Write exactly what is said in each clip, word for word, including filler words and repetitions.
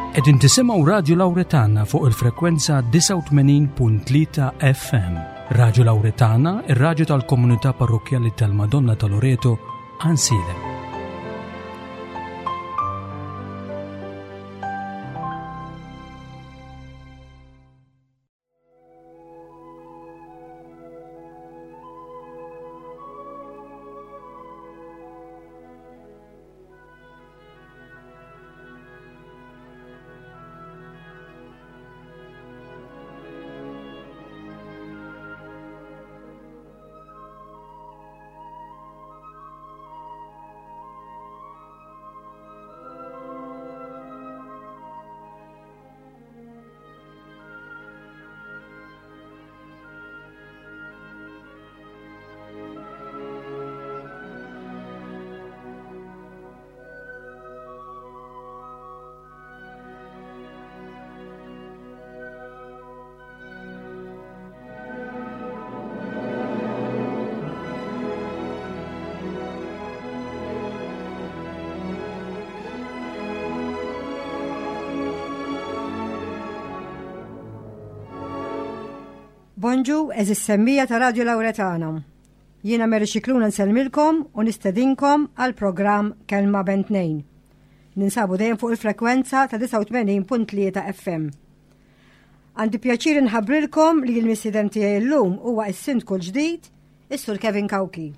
Qegħdin tisimgħu Radio Lauretana fuq il-frekwenza disgħa u tmenin punt tlieta F M. Radio Lauretana, ir-raġu tal-komunità parrokjali tal-Madonna ta' Loreto, Għajnsielem. Bonġu, għeżież semmiegħa ta' Radio Lauretana. Jiena Mary Xikluna nsellmilkom u nistedinkom għal programm Kelma Bejn Tnejn. Ninsabu dejjem fuq il-frekwenza ta' disgħa u tmenin punt tlieta F M. Għandi pjaċir nħabbrilkom li l-mistieden tiegħi llum huwa s-sindku l-ġdid, is-Sur Kevin Cauchi.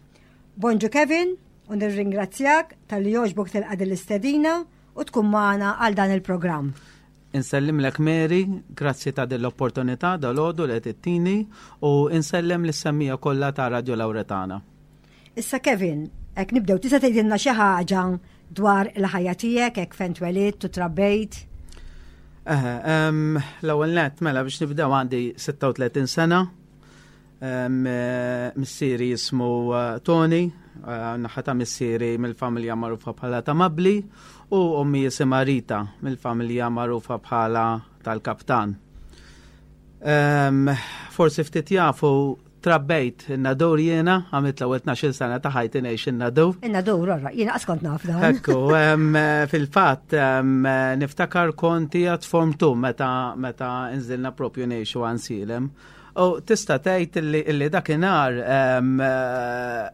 Bonġu Kevin, u nirringrazzjak talli għoġbok tilqa' l-istedina u tkun magħna għal dan il-programm. Insellimlek Mary, grazzi ta' dell-opportunità dal-għodu li ttini u insellem lis-semmiegħa kollha ta' Radio Lauretana. Issa Kevin, hekk nibdew, tista' tgħidilna xi ħaġa dwar il-ħajja tiegħek, hekk fejn twelidt u trabbejt? L-ewwel nett, mela, biex nibdew, għandi sitta u tletin sena. Missieri jismu eh, Tony, eh, naħa ta' missieri mill-familja magħrufa bħala ta' Mabli u ommi jisimha Rita mill-familja magħrufa bħala tal-Kaptan. Forsi ftit jafu, trabbejt in-Nadur jiena, għamilt l-ewwel tnax-il sena ta' ħajti ngħix in-Nadur. In-Nadur, ora, jiena qas kont naf dan. Ekku, fil-fatt niftakar kont għad form two meta meta nżilna propju ngħixu Għajnsielem. U tista' tgħid illi dakinhar,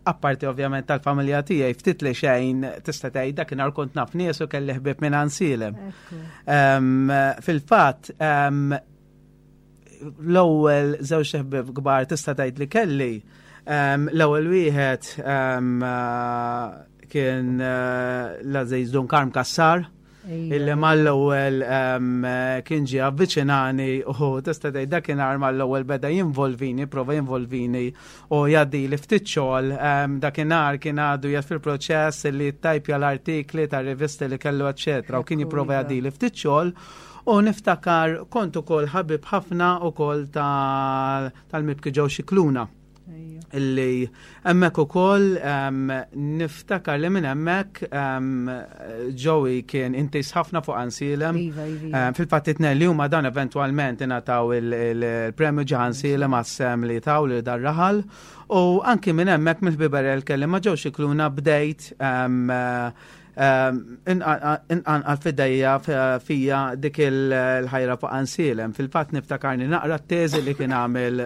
apparti ovvjament tal-familja tiegħi, ftit li xejn tista' tgħid dakinhar kont naf nies u kelli ħbieb minn Għajnsielem. Fil-fatt l-ewwel żewġ ħbieb kbar tista' tgħid li kelli, l-ewwel wieħed kien l-għażiż Dun Karm Kassar, illi mal-ewwel kien ġie avviċinani u tista' tgħid dakinhar mal-ewwel beda jinvolvini, prova jinvolvini u jgħaddi li ftit xogħol. Dakinhar kien għadu jgħid fil-proċess li tajpja l-artikli ta' rivisti li kellu, eċetera, u kien jipprova jgħaddi li ftit xogħol. U niftakar kont ukoll ħabib ħafna ukoll tal-mibki Joe Xikluna, illi hemmhekk ukoll niftakar li minn hemmhekk Joey kien intis ħafna fuq Għajnsielem. Iva, iva. Fil-fatt it li huma dan eventwalment ingħataw il-premju ġo Għajnsielem għas-sehem li taw lil dar-raħal. U anki minn hemmhekk, mill-ħbiberija kelli ma' Joe Xikluna, bdejt inqanqal fidejja fija dik il-ħajra fuq Għajnsielem. Fil-fatt niftakarni naqra t-teżi li kien għamel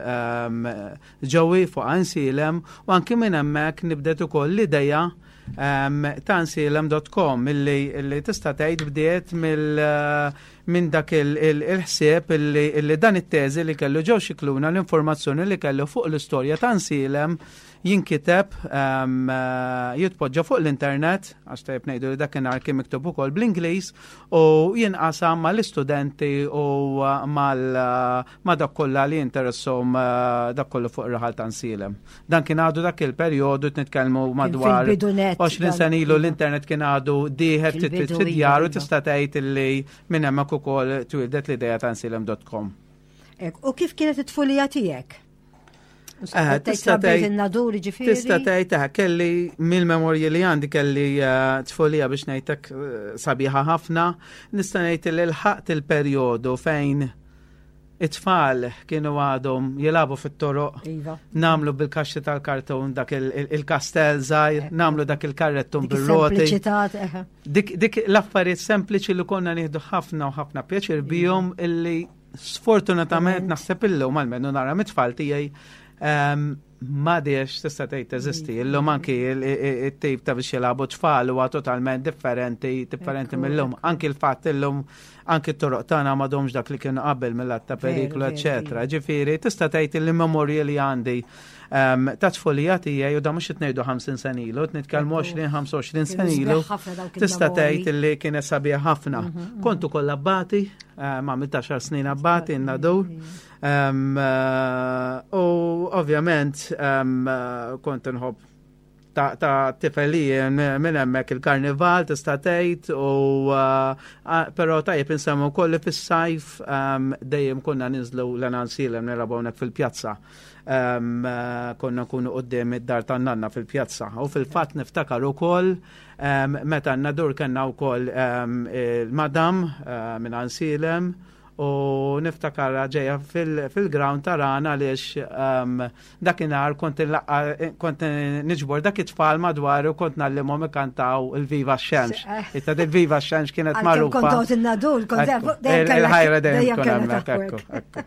Joey fuq Għajnsielem u anki minn hemmhekk nibdet ukoll l-ideja ta' għajnsielem punt com illi tista' tgħid bdiet minn dak il-ħsieb illi dan it-teżi li kellu Joe Xikluna, l-informazzjoni li kellu fuq l-istorja ta' Għajnsielem, jinkiteb, jitpoġġa fuq l-internet, għax tajb ngħidu li dakinhar kien miktub ukoll bl-Ingliż, u jinqasam mal-istudenti u ma' dak kollha li interessahom dak kollu fuq ir-raħal ta' Għajnsielem. Dan kien għadu dak il-perjodu, nitkellmu madwar għoxrin sena ilu, l-internet kien għadu dieħel ftit fid-djar u tista' tgħid illi minn hemmhekk ukoll twildet l-idea ta' għajnsielem punt com. U kif kienet it-tfulija tiegħek? Tista' tgħid ġifieri. Tista' tgħid kelli, mill-memorji li għandi, kelli tfulija, biex ngħidlek, sabiħa ħafna. Nista' ngħid li lħaqt il-perjodu fejn It-tfal kienu għadhom jilagħbu fit-toroq, Iva. nagħmlu bil-kaxxi tal-karton dak il-kastell żgħir, nagħmlu dak il-karrettun Dik bir-roti. is-sempliċità, eħe. Dik, dik l-affarijiet sempliċi li konna nieħdu ħafna u ħafna pjaċir bihom, illi sfortunatament naħseb illum, almenu nara mit-tfal tiegħi, ehm, m'għadhiex tista' tgħid teżisti. Illum anki il-tip ta' biex jilagħbu tfal huwa totalment differenti, differenti Ekku, mill-lum. Anki l-fatt illum anki t-toroq tagħna m'għadhomx dak li kienu qabel mill-att ta' Veru, periklu, veru, eċetera. Ġifieri tista' tgħid li memorji li għandi ehm, ta' tfulija tiegħi, u da mhux qed ngħidu ħamsin sena ilu, qed nitkellmu Ekku. għoxrin, ħamsa u għoxrin Kienu sena ilu. sbieħ ħafna dawk Tista' il-memorji. tgħid li kienet sabiħa ħafna. Kont ukoll abbati, eh, ma għamilt għaxar snin abbati in-Nadur. Um, eh, U ovvjament um, eh, kont nħobb ta' ta' tifelija minn hemmhekk il-karnival, tista' tgħid, u uh, però tajjeb insemmu wkoll li fis-sajf um, dejjem konna ninżlu Għajnsielem nilagħbu hawnhekk fil-pjazza. Um, uh, konna nkunu quddiem id-dar tan-nanna fil-pjazza. U fil-fatt niftakar ukoll um, meta n-Nadur kellna wkoll um, il-madam uh, minn Għajnsielem u niftakar ġeja fil-ground tarana għaliex um, dakinhar kont nlaqqa- kont niġbor dak it-tfal madwar u kont ngħallimhom ikantaw il-Viva x-Xemx. Itta il-Viva x-Xemx kienet Għalkemm magħrufa. kont toqgħod in-Nadur, kont Ekku, dejjem kellek- il-ħajra dejjem dejjem tkun kellek hemmhekk, taħwek. ekku, ekku.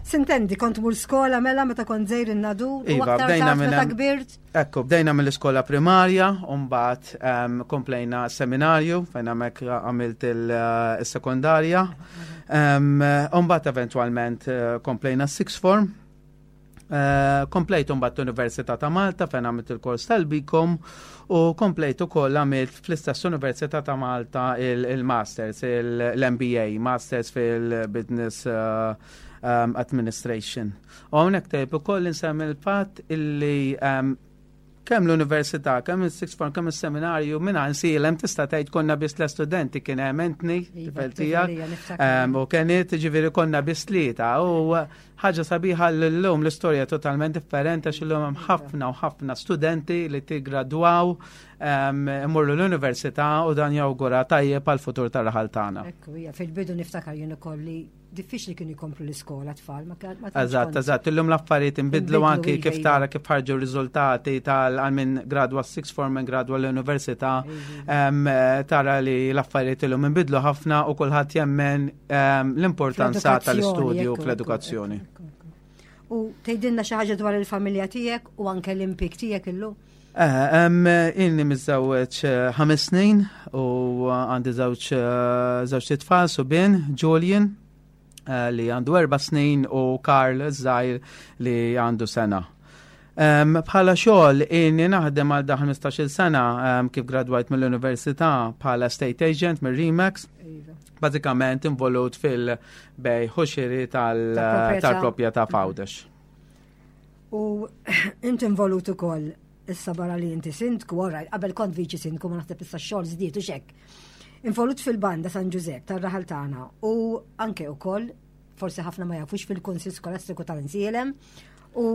Sintendi, kont mur skola mela meta kont żgħir in-Nadur u Iva, aktar bdejna tard minn meta hemm. kbirt. Ekku, bdejna mill-iskola primarja, u mbagħad um, komplejna seminarju, fejn hemmhekk għamilt il-sekondarja. Um, U mbagħad eventwalment eh, komplejna sixth form. Uh, komplejt mbagħad l-Università ta' Malta fejn għamilt il-kors tal-B Com u komplejt ukoll għamilt fl-istess Università ta' Malta il-Masters, il-M B A, Masters fil-Business uh, um, Administration. U hawnhekk tajjeb ukoll insemmi l-fatt illi um, kemm l-università, kemm il-sixth form, kemm il-seminarju, minn Għajnsielem tista' tgħid konna biss l-studenti, kien hemm Anthony, Iva, tifel tiegħek, tifel niftakar. um, u kienet ġifieri konna biss tlieta u ħaġa sabiħa l-lum l-istorja totalment differenti għax illum hemm ħafna u ħafna studenti li tiggradwaw um, imorru l-università u dan jawgura tajjeb għal futur tar-raħal tagħna. Ekku, hija, fil-bidu niftakar jien ukoll li diffiċli kienu jkomplu l-iskola tfal. Ma ma tantx Eżatt, kont- eżatt, illum l-affarijiet inbidlu Inbidlu, anki iva, kif iva. tara kif ħarġu riżultati tal għal min gradwa sixth form, minn gradwa l-università, em, eh, tara li l-affarijiet illum inbidlu ħafna u kulħadd jemmen em, l-importanza Fl-edukazzjoni, tal-istudju ekku, fl-edukazzjoni. ekku, ekku, ekku. U tgħidilna xi ħaġa dwar il-familja tiegħek u anke l-impjieg tiegħek illum? Eh, em, Inni miżżewweġ eh, ħames snin u għandi żewġ eh, żewġ tfal subien, Julian eh, li għandu erba' snin u Karl żgħir li għandu sena. Um, bħala xogħol inni naħdem għal da ħmistax-il sena um, kif gradwajt mill-università bħala estate agent mir Remax, Iva. bażikament involut fil-bejgħ u xiri tal- Tal-proprjetà. tal-proprjetà f'Għawdex. U inti involut ukoll issa barra li inti sindku, ora, qabel kont viċi sindku, ma naħseb issa x-xogħol żdied u xek. Involut fil-banda San Ġużepp tar-raħal tagħna u anke ukoll forsi ħafna ma jafux fil-Kunsill Skolastiku tal-Għajnsielem u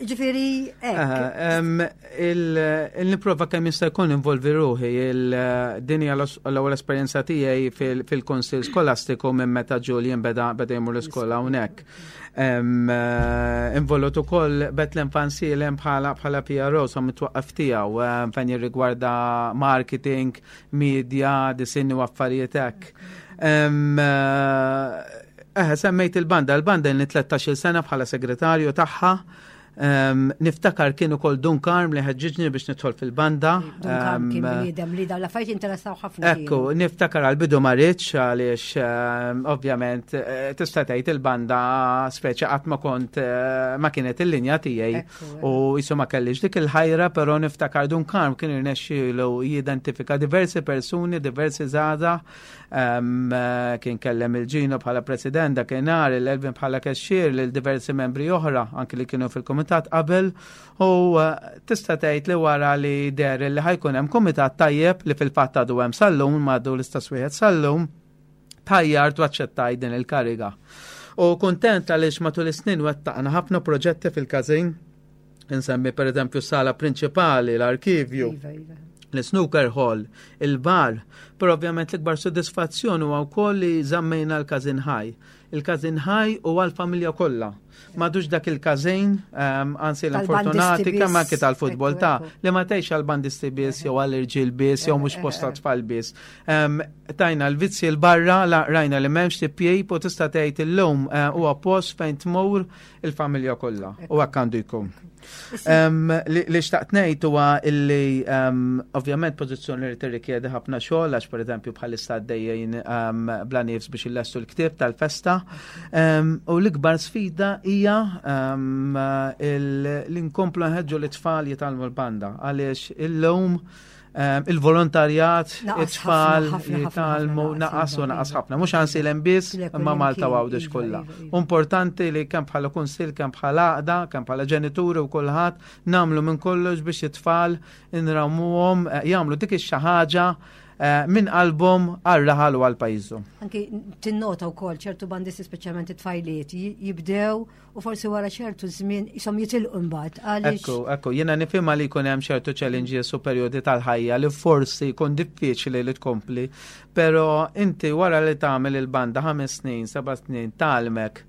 ġifieri hekk. Il-niprova kemm jista' jkun involvi ruħi il-din hija l-ewwel esperjenza tiegħi fil-Kunsill Skolastiku minn meta Julian beda beda jmur l-iskola hawnhekk. Em, eh, Involut ukoll Bethlehem f'Għajnsielem bħala bħala P R O sa mit-twaqqif tiegħu em, fejn jirrigwarda marketing, media, disinni u affarijiet hekk. Em, eh, Eh, semmejt il-banda, il-banda inni tlettax-il sena bħala segretarju tagħha. Um, niftakar kien ukoll Dun Karm li ħeġġiġni biex nidħol fil-banda. Dun Karm kien Em, bniedem li dawn l-affarijiet interessaw ħafna. Ekku, niftakar għal-bidu ma ridtx għaliex um, ovvjament eh, tista' tgħid il-banda speċi qatt ma kont eh, ma kienet il-linja tiegħi Ekku, u jisu ma kellix dik il-ħajra, però niftakar Dun Karm kien irnexxielu jidentifika diversi persuni, diversi żgħażagħ, um, eh, kien kellem il-Ġino bħala president dakinhar, il-Elvin bħala cashier, lil diversi membri oħra anki li kienu fil-komitat qabel u eh, tista' tgħid li wara li der li ħa jkun hemm komitat tajjeb, li fil-fatt għadu hemm sal-lum, għadu l-istess wieħed sal-lum, tajjart u aċċettaj din il-kariga. U kontent għaliex matul is-snin wettaqna ħafna proġetti fil-każin, insemmi per eżempju sala prinċipali, l-arkivju, Iva, iva. l-snooker hall, il-bar, però ovvjament l-ikbar soddisfazzjon huwa wkoll li żammejna l-każin ħaj. Il-każin ħaj u għal-familja kollha. M'għadux dak il-każin, anzi l-fortunati kemm anke tal-futbol ta' li ma tgħix għal-bandisti biss jew għall-irġiel biss jew mhux posta tfal biss. Tajna l-vizzi l-barra, rajna li m'hemmx tipjib u tista' tgħid illum eh, huwa post fejn tmur il-familja kollha u hekk għandu jkun. Li xtaqt ngħid huwa illi ovvjament pożizzjoni li tirrikjedi ħafna xogħol, għax pereżempju bħalissa għaddejjin bla nifs biex illestu l-ktieb tal-festa. U l-ikbar sfida hija li nkomplu nħeġġu l-tfal jitgħallmu l-banda, għaliex illum il-volontarjat, it-tfal jitgħallmu naqas u naqas ħafna. Mhux Għajnsielem biss, imma Malta u Għawdex kollha. Importanti li kemm bħala kunsill, kemm bħala għaqda, kemm bħala ġenituri u kulħadd nagħmlu minn kollox biex it-tfal inrawmuhom eh, jagħmlu dik ix ħaġa eh, minn qalbhom għal-raħal u għal-pajjiżhom. Anki tinnota wkoll ċertu bandisti, speċjalment it-tfajliet, jibdew u forsi wara ċertu żmien jisom jitilqu mbagħad għaliex. Ekku, ekku, jiena nifhimha li jkun hemm ċertu challenges u perjodi tal-ħajja li forsi jkun diffiċli li tkompli, però inti wara li tagħmel il-banda ħames snin, seba' snin tgħallmek,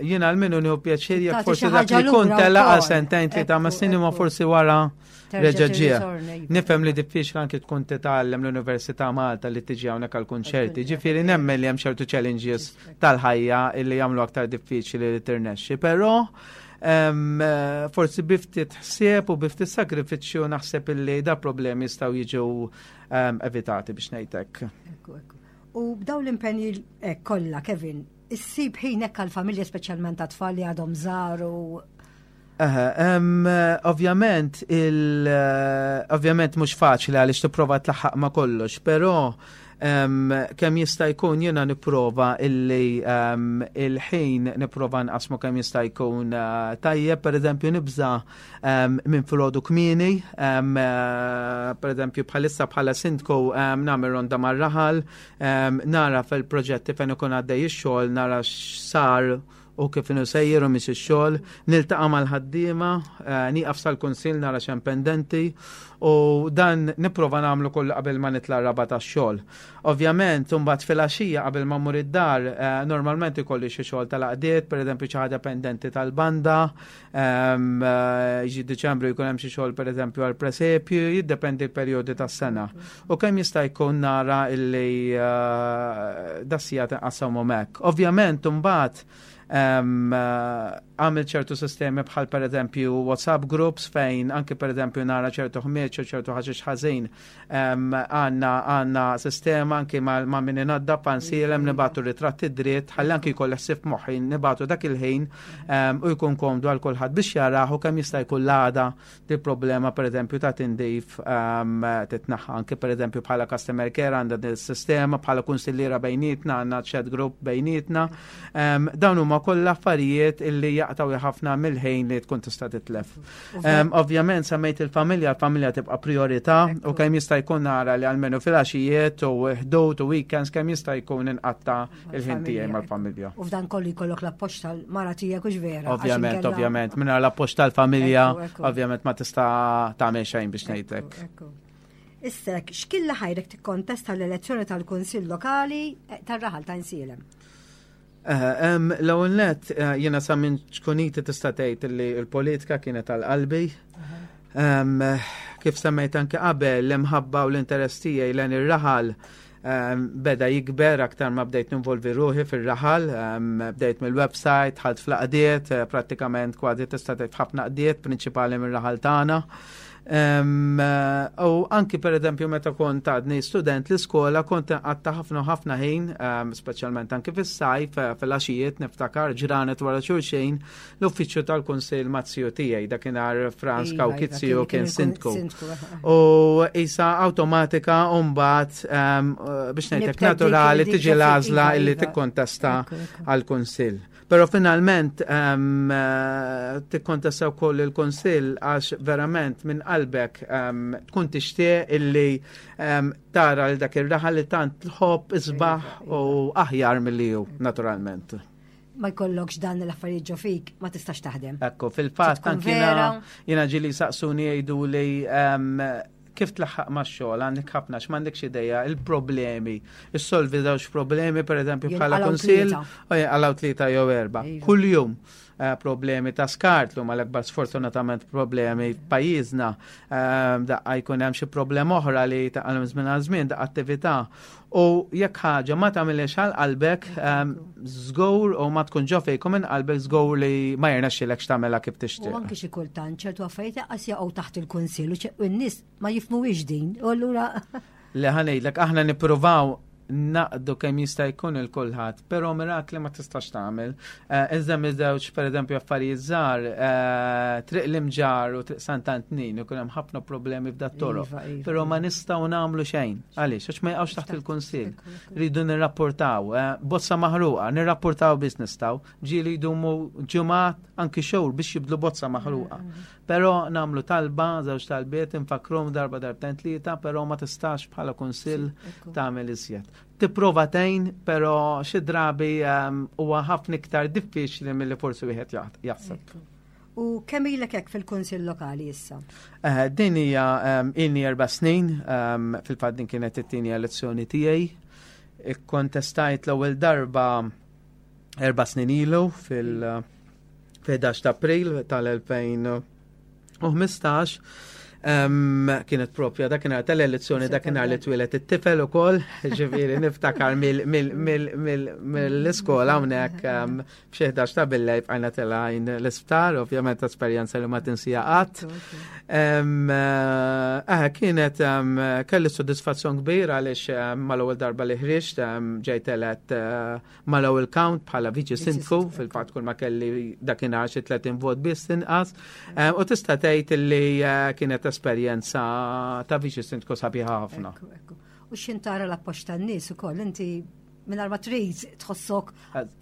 jiena għal-minu nieħu pjaċir jekk Tagħti forsi xi dak ħaġa li kun lura tela għal wkoll. sentejn, tlieta, ma Ekku, snin ma ekku. forsi wara Terġa' reġa' ġie. tirritorna, iva. Nifhem li diffiċli anke tkun titgħallem l-Università Malta li tiġi hawnhekk għall-kunċerti. Ġifieri nemmen li hemm ċertu challenges tal-ħajja illi jagħmlu aktar diffiċli li tirnexxi, però em, eh, forsi bi ftit ħsieb u bi ftit sagrifiċċju naħseb illi da problemi jistgħu jiġu em, evitati, biex ngħidlek. Ekku, ekku. U b'daw l-impenji eh, kollha, Kevin, issib ħin hekk għall-familja, speċjalment għat-tfal li għadhom żgħar u Aha, em, eh, ovvjament il eh, ovvjament mhux faċli għaliex tipprova tlaħħaq ma' kollox, però em, kemm jista' jkun jiena nipprova illi em, il-ħin nipprova nqasmu kemm jista' jkun eh, tajjeb. Pereżempju nibża em, minn filgħodu kmieni, em, eh, pereżempju bħalissa bħala sindku em, nagħmel ronda mar-raħal, em, nara fil-proġetti fejn ikun għaddej ix-xogħol, nara x'sar u kif inhu sejjer u mhix ix-xogħol, niltaqa' mal-ħaddiema, eh, nieqaf sal-kunsill nara x'hemm pendenti u dan nipprova nagħmlu kollu qabel ma nitla' r-raba tax-xogħol. Ovvjament, imbagħad filgħaxija qabel ma mmur id-dar, eh, normalment ikolli xi xogħol tal-għaqdiet, pereżempju xi ħaġa pendenti tal-banda, ehm, eh, jiġi Diċembru jkun hemm xi xogħol pereżempju għall-presepju, jiddependi l-perjodi tas-sena. U kemm jista' jkun nara illi eh, das-sigħat inqassamhom hekk. Ovvjament, imbagħad um, għamil ċertu sistemi bħal per eżempju WhatsApp groups fejn anke per eżempju nara ċertu ħmieġ u ċertu ħaxix ħażin, um, għandna għandna sistema anke ma, ma min inaddaf Għajnsielem, nibagħtu ritratti dritt ħalli anke jkolli ħsieb moħħi nibagħtu dak il-ħin um, u jkun komdu għal kulħadd biex jarah u kemm jista' jkun l-għada di problema per eżempju ta' tindif um, titnaħħa. Anke per eżempju bħala customer care għandha din sistema, bħala kunsilliera bejnietna għandna chat group bejnietna. um, dawn huma kollha affarijiet illi jaqtaw ħafna mill-ħin li tkun tista' titlef. Um, ovvjament semmejt il-familja, il-familja tibqa' priorità u kemm jista' jkun nara li almenu fil-għaxijiet u ħdud u weekends kemm jista' jkun inqatta il-ħin tiegħi mal-familja. U f'dan kollu jkollok l-appoġġ tal-mara tiegħek, hux vera? Għax Ovvjament, inkella- ovvjament, mingħajr l-appoġġ tal-familja, Ekku, ekku. ovvjament ma tista' tagħmel xejn, biex ngħidlek. Ekku. Issa, x'kien li ħajrek tikkontesta l-elezzjoni tal-Kunsill Lokali eh, tar-raħal ta' Għajnsielem? Eh, em, L-ewwel nett eh, jiena sa minn ċkuniti tista' tgħid li l-politika kienet għal qalbi. Em, Kif semmejt anke qabel, l-imħabba u l-interess tiegħi lejn ir-raħal em, beda jikber aktar ma bdejt ninvolvi ruħi fir-raħal, em, bdejt mill-website, dħalt fl-għaqdiet, eh, prattikament kważi tista' tgħid ħafna għaqdiet prinċipali mir-raħal tagħna. Em, eh, U anki per eżempju meta kont għadni student l-iskola kont għaddejt ħafna ħafna ħin, em, speċjalment anki fis-sajf, eh, fil-għaxijiet niftakar ġranet wara xulxin l-uffiċċju tal-Kunsill maz-ziju tiegħi, dakinhar Franz Iva, iva, Cauchi ziju kien il-kun- sindku. Sindku, eh, U isa awtomatika mbagħad biex ngħidlek Nibtet dik- naturali dik tiġi ġo- l-għażla iva, illi iva. tikkontesta Ekku, ekku. għal-Kunsill. Però finalment um, tikkontesta wkoll il-Kunsill għax verament minn qalbek um, tkun tixtieq illi um, tara l dak ir-raħal li tant tħobb isbaħ u aħjar milli hu naturalment. Ma jkollokx dan l-affarijiet ġo fik, ma tistax taħdem. Ekku, fil-fatt Tkun anki jiena vera. jiena ġieli saqsuni jgħidu li um, Kif tlaħħaq max-xogħol għandek ħafna x'm'għandekx idea il-problemi. Issolvi żewġ problemi, pereżempju, bħala Jinqalgħu kunsill, tlieta. u jinqalgħu tlieta jew erba'. Iva. Kuljum eh, problemi ta' skart li huma l-akbar sfortunatament problemi f'pajjiżna. Eh, Daqqa jkun hemm xi problema oħra li taqalhom żmien għal żmien, daqqa attività. U jekk ħaġa ma tagħmilx għal qalbek, ehm, żgur u ma tkun ġo fejk u minn qalbek, żgur li ma jirnexxilekx tagħmilha kif U tixtieq. anki xi kultant ċertu affarijiet qas jaqgħu taħt il-kunsill u ċe- u n-nies ma jifhmuhiex din. U allura Li ħa ngħidlek, aħna nippruvaw naqdu kemm jista' jkun il kulħadd, però mirakli ma tistax tagħmel. Eh, Iżda miż-żewġ, pereżempju, affarijiet żgħar, eh, Triq l-Imġarr u Triq Sant'Antnin, ikun hemm ħafna problemi f'dat toroq. Iva, iva, Però ma nistgħu nagħmlu xejn. Għaliex? Għax ma jaqgħux taħt il-kunsill. Ekku, ekku. Rridu nirrapportaw, eh, bozza maħruqa, nirrapportaw biss nistgħu. Ġieli jdumu ġimgħat, anki xhur, biex jibdlu bozza maħruqa. Però nagħmlu talba, żewġ talbiet, infakrum darba, darbtejn, tlieta, però ma tistax bħala kunsill Ekku. tagħmel iżjed. Tipprova tgħin, però xi drabi ehm, huwa ħafna iktar diffiċli milli forsi wieħed jaħ- jaħseb. Ekku. U kemm ilek hekk fil-kunsill lokali issa? Eh, Din hija ehm, ilni erba' snin, ehm, fil-fatt din kienet it-tieni elezzjoni tiegħi. Ikkontestajt l-ewwel darba erba' snin ilu fil- fil-ħdax ta' April tal-elfejn u ħmistax. Um, kienet propja dakinhar tal-elezzjoni, dakinhar li twieled it-tifel ukoll, ġifieri niftakar mill-iskola hawnhekk um, f'xi ħdax ta' billejl bqajna telgħin l-isptar, ovvjament esperjenza li ma tinsija qatt. Um, eh, kienet um, kelli soddisfazzjon kbir għaliex um, mal-ewwel darba li ħriġt um, ġejt elett uh, mal-ewwel count bħala viċi sindku, sindku. Fil-fatt kull ma kelli dakinhar xi tletin vot biss inqas. Um, u tista' tgħid li uh, kienet esperjenza ta' viċi sindku sabiħa ħafna. Ekku, ekku. U x'ħin tara l-appoġġ tan-nies ukoll, inti mingħajr ma trid tħossok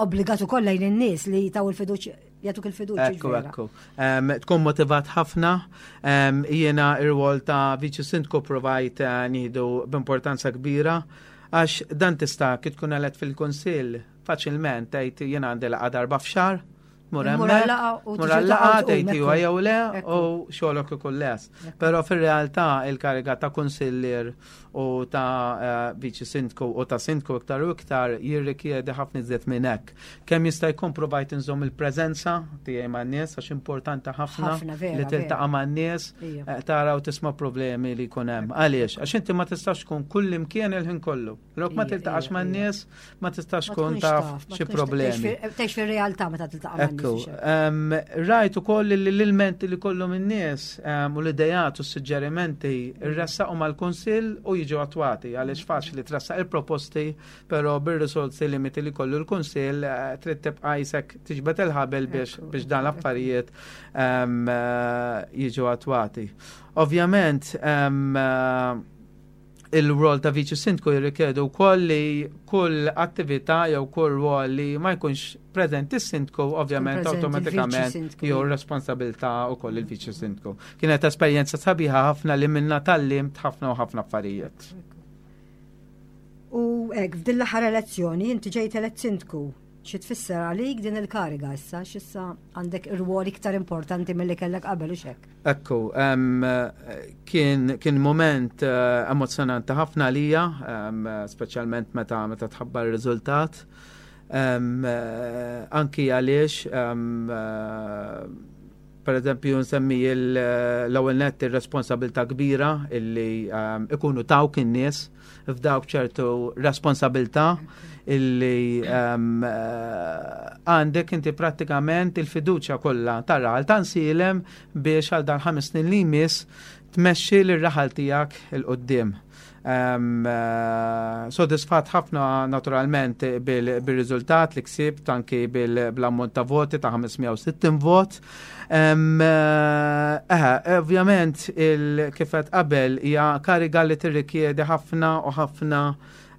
obbligat ukoll lejn in-nies li taw il-fiduċja, jagħtuk il-fiduċja. Ekku, vera. ekku. Um, tkun motivat ħafna. Um, jiena ir-rwol ta' viċi sindku provajt uh, nieħdu b'importanza kbira, għax dan tista' kif tkun elett fil-kunsill faċilment tgħid jiena għandi laqgħa darba f'xahar, mur Mur hemmhekk, għal-laqgħa u mur tiġi għal-laqgħa, taqgħod tgħid tqum, iva ekku. jew le Ekku. u xogħolok ikun les. Però fir-realtà il-kariga ta' kunsillier u ta' eh, viċi sindku u ta' sindku iktar u iktar jirrikjedi ħafna iżjed minn hekk. Kemm jista' jkun provajt inżomm il-preżenza tiegħi man-nies, għax importanti ħafna Ħafna, vera, li tiltaqa' man-nies, Ija. eh, tara u tisma' problemi li jkun hemm. Għaliex? Għax inti ma tistax tkun kull imkien il-ħin kollu. Lok ma Ija, tiltaqax ija, man-nies, ma tistax Ma tkun tkunx taf ma xi tkunx problemi. tgħix fi- Tgħix fir-realtà meta tiltaqa' man-nies. Ekku, u xejn. um, rajt ukoll li l-ilmenti li kollhom in-nies um, u l-idejat u s-suġġerimenti irressaqu mal-kunsill u jiġu attwati, għaliex faċli tressaq il-proposti, però bir-risorsi limiti li kollu l-kunsill eh, trid tibqa' jisek tiġbed il-ħabel biex Ekku, biex dan l-affarijiet um, eh, jiġu attwati. Ovvjament, um, eh, il-rol ta' viċi sindku jirrikjedu wkoll li kull attività jew kull rol li ma jkunx preżenti s-sindku, ovvjament preżenti awtomatikament il-viċi sindku. jew responsabilità wkoll il-viċi sindku. Kienet esperjenza sabiħa ħafna li minna tgħallimt ħafna u ħafna affarijiet. U hekk, f'din l-aħħar elezzjoni inti ġejt elett sindku. Xi tfisser għalik din il-kariga issa, x'issa għandek irwol iktar importanti milli kellek qabel u xek? Ekku, um, kien, kien moment uh, emozjonanti ħafna għalija, um, speċjalment meta meta tħabbar ir-riżultat. Um, uh, anki għaliex, um, uh, per eżempju, nsemmi il- l-ewwel nett ir-responsabilità kbira illi um, ikunu tawk in-nies, fdawk ċertu responsabilità illi um, eh, għandek inti prattikament il-fiduċja kollha tar-raħal ta' Għajnsielem biex għal dan ħames snin li jmiss tmexxi lir-raħal tiegħek 'il quddiem. Um, uh, sodisfat ħafna naturalment bil-riżultat li ksibt, anki bil-ammont ta' voti ta' ħames mija u sittin vot. Um, uh, eh, ovvjament il kif għedt qabel hija kariga li tirrikjedi ħafna u ħafna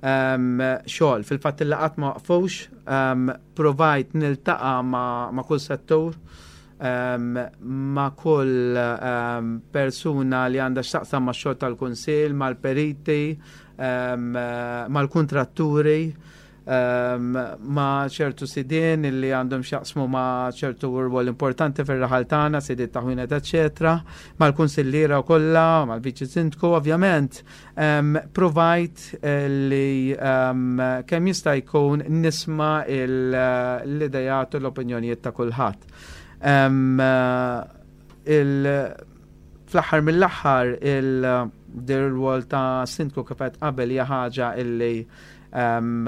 um, xogħol. Fil-fatt il-laqgħat ma waqfux, um, provajt niltaqa' ma, ma' kull settur, um, ma' kull um, persuna li għandha x'taqsam ma' xogħol tal-kunsill, mal-periti, um, mal-kontratturi. um, ma' ċertu sidien illi għandhom x'jaqsmu ma' ċertu rwol importanti fir-raħal tagħna, sidien ta' ħwienet, eċetera, mal-kunsilliera kollha, mal-viċi sindku, ovvjament, um, provajt eh, li um, kemm jista' jkun nisma' l-idejat u l-opinjonijiet ta' kulħadd. Um, il fl-aħħar mill-aħħar il-rwol ta' sindku, kif għedt qabel, hija ħaġa illi um,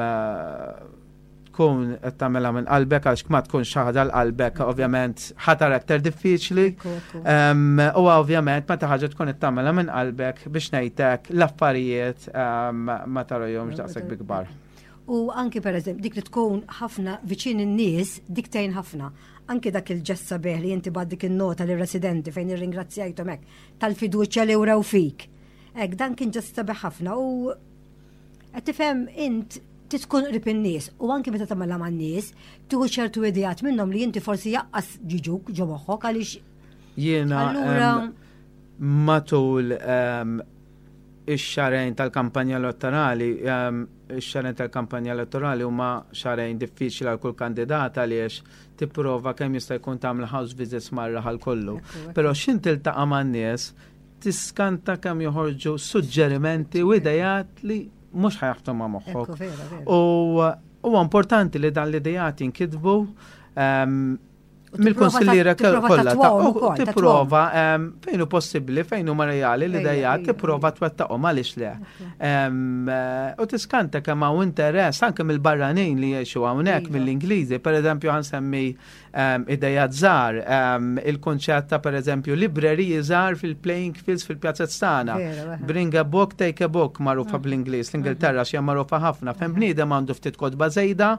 tkun qed tagħmilha minn qalbek, għax ma tkunx ħaġa għal qalbek, ovvjament ħa tara aktar diffiċli. Um, u ovvjament meta ħaġa tkun qed tagħmilha minn qalbek, biex ngħidlek, l-affarijiet um, ma tarahomx daqshekk bi kbar. U anki, per eżempju, dik li tkun ħafna viċin in-nies, dik tgħin ħafna. Anki dak il-ġest sabiħ li inti bgħatt dik in-nota lir-residenti fejn irringrazzjajthom hekk tal-fiduċja li wrew fik. Hekk, dan kien ġest sabiħ ħafna u qed tifhem, int tkun qrib in-nies u anki meta tagħmilha man-nies tieħu ċertu ideat minnhom li inti forsi lanqas jiġuk ġo moħħok għaliex Jiena Allura em, matul em, ix-xahrejn tal-kampanja elettorali, em, ix-xahrejn tal-kampanja elettorali huma xahrejn diffiċli għal kull kandidat għaliex tipprova kemm jista' jkun tagħmel house visits mar-raħal kollu. Però x'ħin tiltaqa' man-nies, tiskanta kemm joħorġu suġġerimenti u idejat li mhux ħa jaħbtu ma' moħħok. Ekku, vera, vera. U huwa importanti li dan l-idejat jinkitbu em, U tipprova mill-konsilliera ta- tipprova kollha ta' tattwahom u ukoll, tipprova em, fejn hu possibbli, fejn huma reali l-idejat, Ejja, tipprova twettaqhom, għaliex le. Em, eh, U tiskanta kemm hawn interess anke mill-barranin li jgħixu hawnhekk, Iva. mill-Ingliżi, pereżempju ħa nsemmi em, idejat żgħar, em, il-kunċett ta', pereżempju, libreriji żgħar fil-playing fields fil-pjazzett tagħna. Vera, veħe. "Bring a book, take a book", magħrufa bl-Ingliż, l-Ingilterra xi magħrufa ħafna. Fejn bniedem għandu ftit kotba żejda,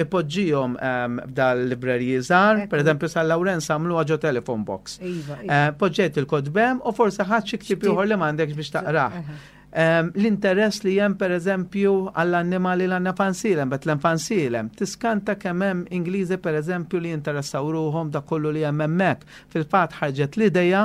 ipoġġihom em, f'dal-libreriji żgħar, Ekku. pereżempju San Lawrenz għamluha ġo telephone box. Iva, iva. Eh, Poġġejt il-kotba hemm u forsi ħadt xi ktieb Xtib. ieħor li m'għandekx biex taqrah. Eħe. Em, L-interess li hemm, per eżempju, għall-annimali l għandna f'Għajnsielem, Betlem f'Għajnsielem, tiskanta kemm hemm Ingliżi, per eżempju, li jinteressaw ruħhom da kollu li hemm hemmhekk. Fil-fatt ħarġet l-ideja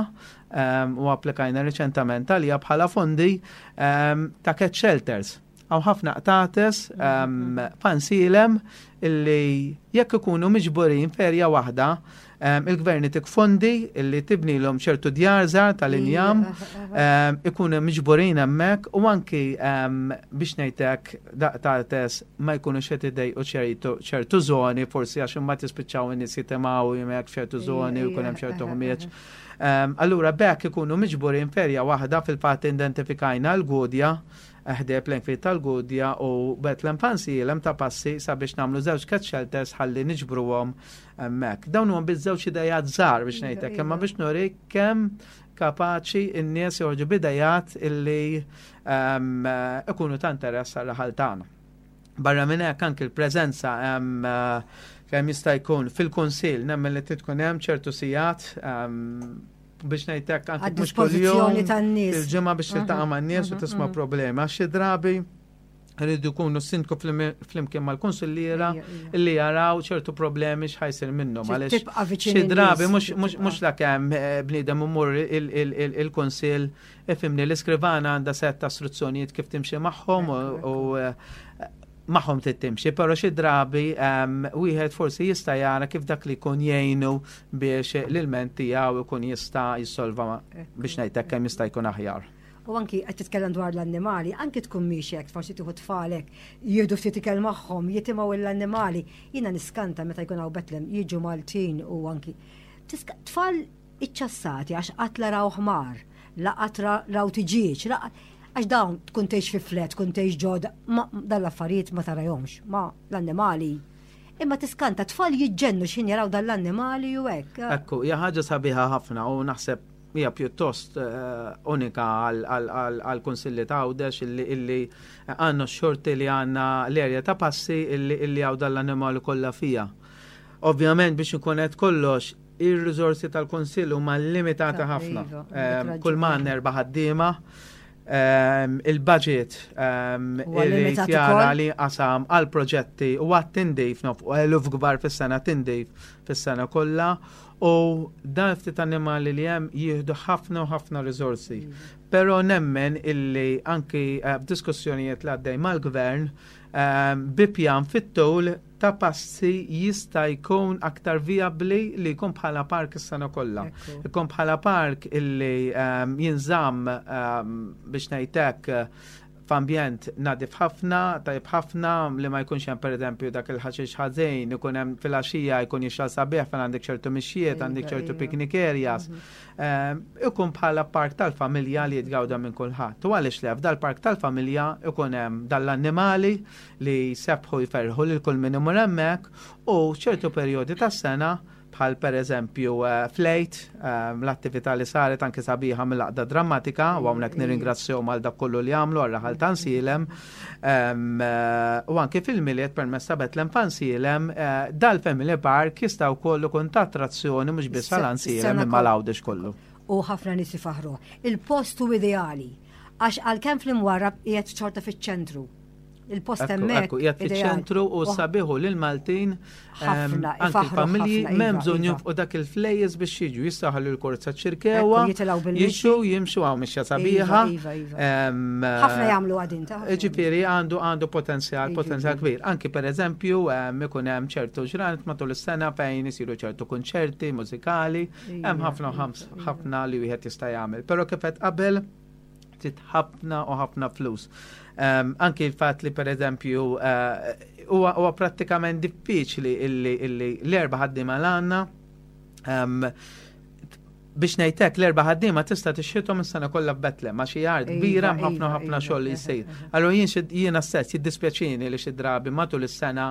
em, u applikajna riċentament għalija bħala fondi em, ta' cat shelters. Hawn ħafna qtates um, f'Għajnsielem illi jekk ikunu miġburin f'erja waħda, um, il-gvern itik fondi illi tibnilhom ċertu djar żgħar tal-injam, um, ikunu miġburin hemmhekk u anki um, biex ngħidlek dal-qtates ma jkunux qed idejqu ċertu ċertu żoni, forsi għax imbagħad jispiċċaw in-nies jitimgħu hemmhekk f'ċertu żoni u jkun hemm ċertu ħmieġ. Um, allura bekk ikunu miġburin f'erja waħda. Fil-fatt identifikajna l-Gudja, ħdejn playing field tal-Gudja u Betlem f'Għajnsielem ta' Passi, sabiex nagħmlu żewġ cat shelters ħalli niġbruhom hemmhekk. Dawn huma biss żewġ idejat żgħar biex ngħidlek, imma biex nuri kemm kapaċi n-nies joħorġu b'idejat illi um, ikunu ta' interess għal tagħna. Barra minn hekk, anke l-preżenza um, kemm jista' jkun fil-kunsill, nemmen li tkun hemm ċertu sigħat, um, biex ngħidlek, anke mhux kuljum Għad-dispożizzjoni tan-nies. il-ġimgħa, biex tiltaqa' man-nies u tisma' problema. Xi drabi rridu jkunu sindku flimkien mal-konsilliera Ejja, ejja. illi jaraw ċertu problemi x'ħa jsir minnhom. Trid Għaliex tibqa' viċin xi drabi in-nies, mhux trid mhux tibqa'. mhux la kemm eh, bniedem imur il-kunsill, ifhimni, l-iskrivana għandha set ta' istruzzjonijiet kif timxi magħhom u- u eh, magħhom trid timxi, però xi drabi em, wieħed forsi jista' jara kif dak li jkun jgħinu biex l-ilment tiegħu jkun jista' jissolva, biex ngħidlek, kemm jista' jkun aħjar. U anki qed titkellem dwar l-annimali, anki tkun miexek, forsi tieħu tfalek, jieħdu ftit ikel magħhom, jitimgħu l-annimali. Jiena niskanta meta jkun hawn Betlem, jiġu Maltin u anki Tiska- tfal iċċassati għax qatt la raw ħmar, la qatt ra- raw tiġieġ, la għax dawn tkun tgħix fi flat, tkun tgħix ġod, ma dan l-affarijiet ma tarahomx, ma l-annimali. Imma tiskanta, tfal jiġġennu x'ħin jaraw dan l-annimali u hekk. Ekku, hija ħaġa sabiħa ħafna u naħseb hija pjuttost eh, unika għal-Kunsilli ta' Għawdex illi illi għandna x-xorti li għandna l-erja ta' Passi illi illi hawn dal-annimali kollha fija. Ovvjament, biex ikun qed kollox, ir-riżorsi tal-Kunsill huma limitati Ta' ħafna. Iva, Em, għandek Kull ma raġun. għandna erba' ħaddiema, em, il-budget em, Huwa irrid limitat jara ukoll. li qasam għal proġetti u għat tindif nofqu eluf kbar fis-sena, tindif fis-sena kollha, u dan ftit annimali li hemm jieħdu ħafna u ħafna riżorsi. Però nemmen illi anki eh, b'diskussjonijiet li għaddej mal-gvern bi pjan fit-tul Ta' Passi jista' jkun aktar viabli li jkun bħala park is-sena kollha. Ikun bħala park illi jinżamm, biex ngħidlek, f'ambjent nadif ħafna, tajb ħafna, li ma jkunx hemm, pereżempju, dak il-ħaxix ħażin, ikun hemm filgħaxija jkun jixgħel sabiħ fejn għandek ċertu mixjiet, għandek ċertu picnic areas. Ikun bħala park tal-familja li jitgawda minn kulħadd. U għaliex le, f'dal-park tal-familja ikun hemm dal-annimali li jsebbħu, jferrħu lil kull min imur hemmhekk u ċertu perjodi tas-sena, bħal per eżempju fl-Għid, l-attività li saret anke sabiħa mill-Għaqda Drammatika, u hawnhekk nirringrazzjahom għal dak kollu li għamlu għar-raħal ta' Għajnsielem, u anke fil-Milied permezz ta' Betlem f'Għajnsielem, dal-Family Park jista' wkoll ikun ta' attrazzjoni mhux biss għal Għajnsielem imma l-Għawdex kollu. U ħafna nies ifaħru. Il-post hu ideali għax għalkemm fl-Imwarrab qiegħed xorta fiċ-ċentru. Il-post hemmhekk. Qiegħed fiċ-ċentru u sabiħu lil Maltin, anke familji m'hemm bżonn jonfqu dak il-flejjes biex jiġu, jistgħu l-korza Ċirkewwa. Jiġu jimxu hawn mixja sabiħa. Iva, iva, iva. Ħafna jagħmlu għadin ta' Ġifieri għandu għandu potenzjal potenzjal kbir. Anki per eżempju ikun hemm ċertu ġranet matul is-sena fejn isiru ċertu kunċerti mużikali, hemm ħafna ħafna li wieħed jista' jagħmel. Però kif qed qabel, trid ħafna u ħafna flus. Um, anki il-fat li per eżempju huwa uh, prattikament diffiċli illi, illi l-erba' ħaddiema l għandna, um, biex ngħidlek, l-erba' ħaddiema tista' tixħithom is-sena kollha f'Betlem, ma xi art kbira, ħafna ħafna xogħol li jsir. Allura jien jiena stess jiddispjaċini li xi drabi matul is-sena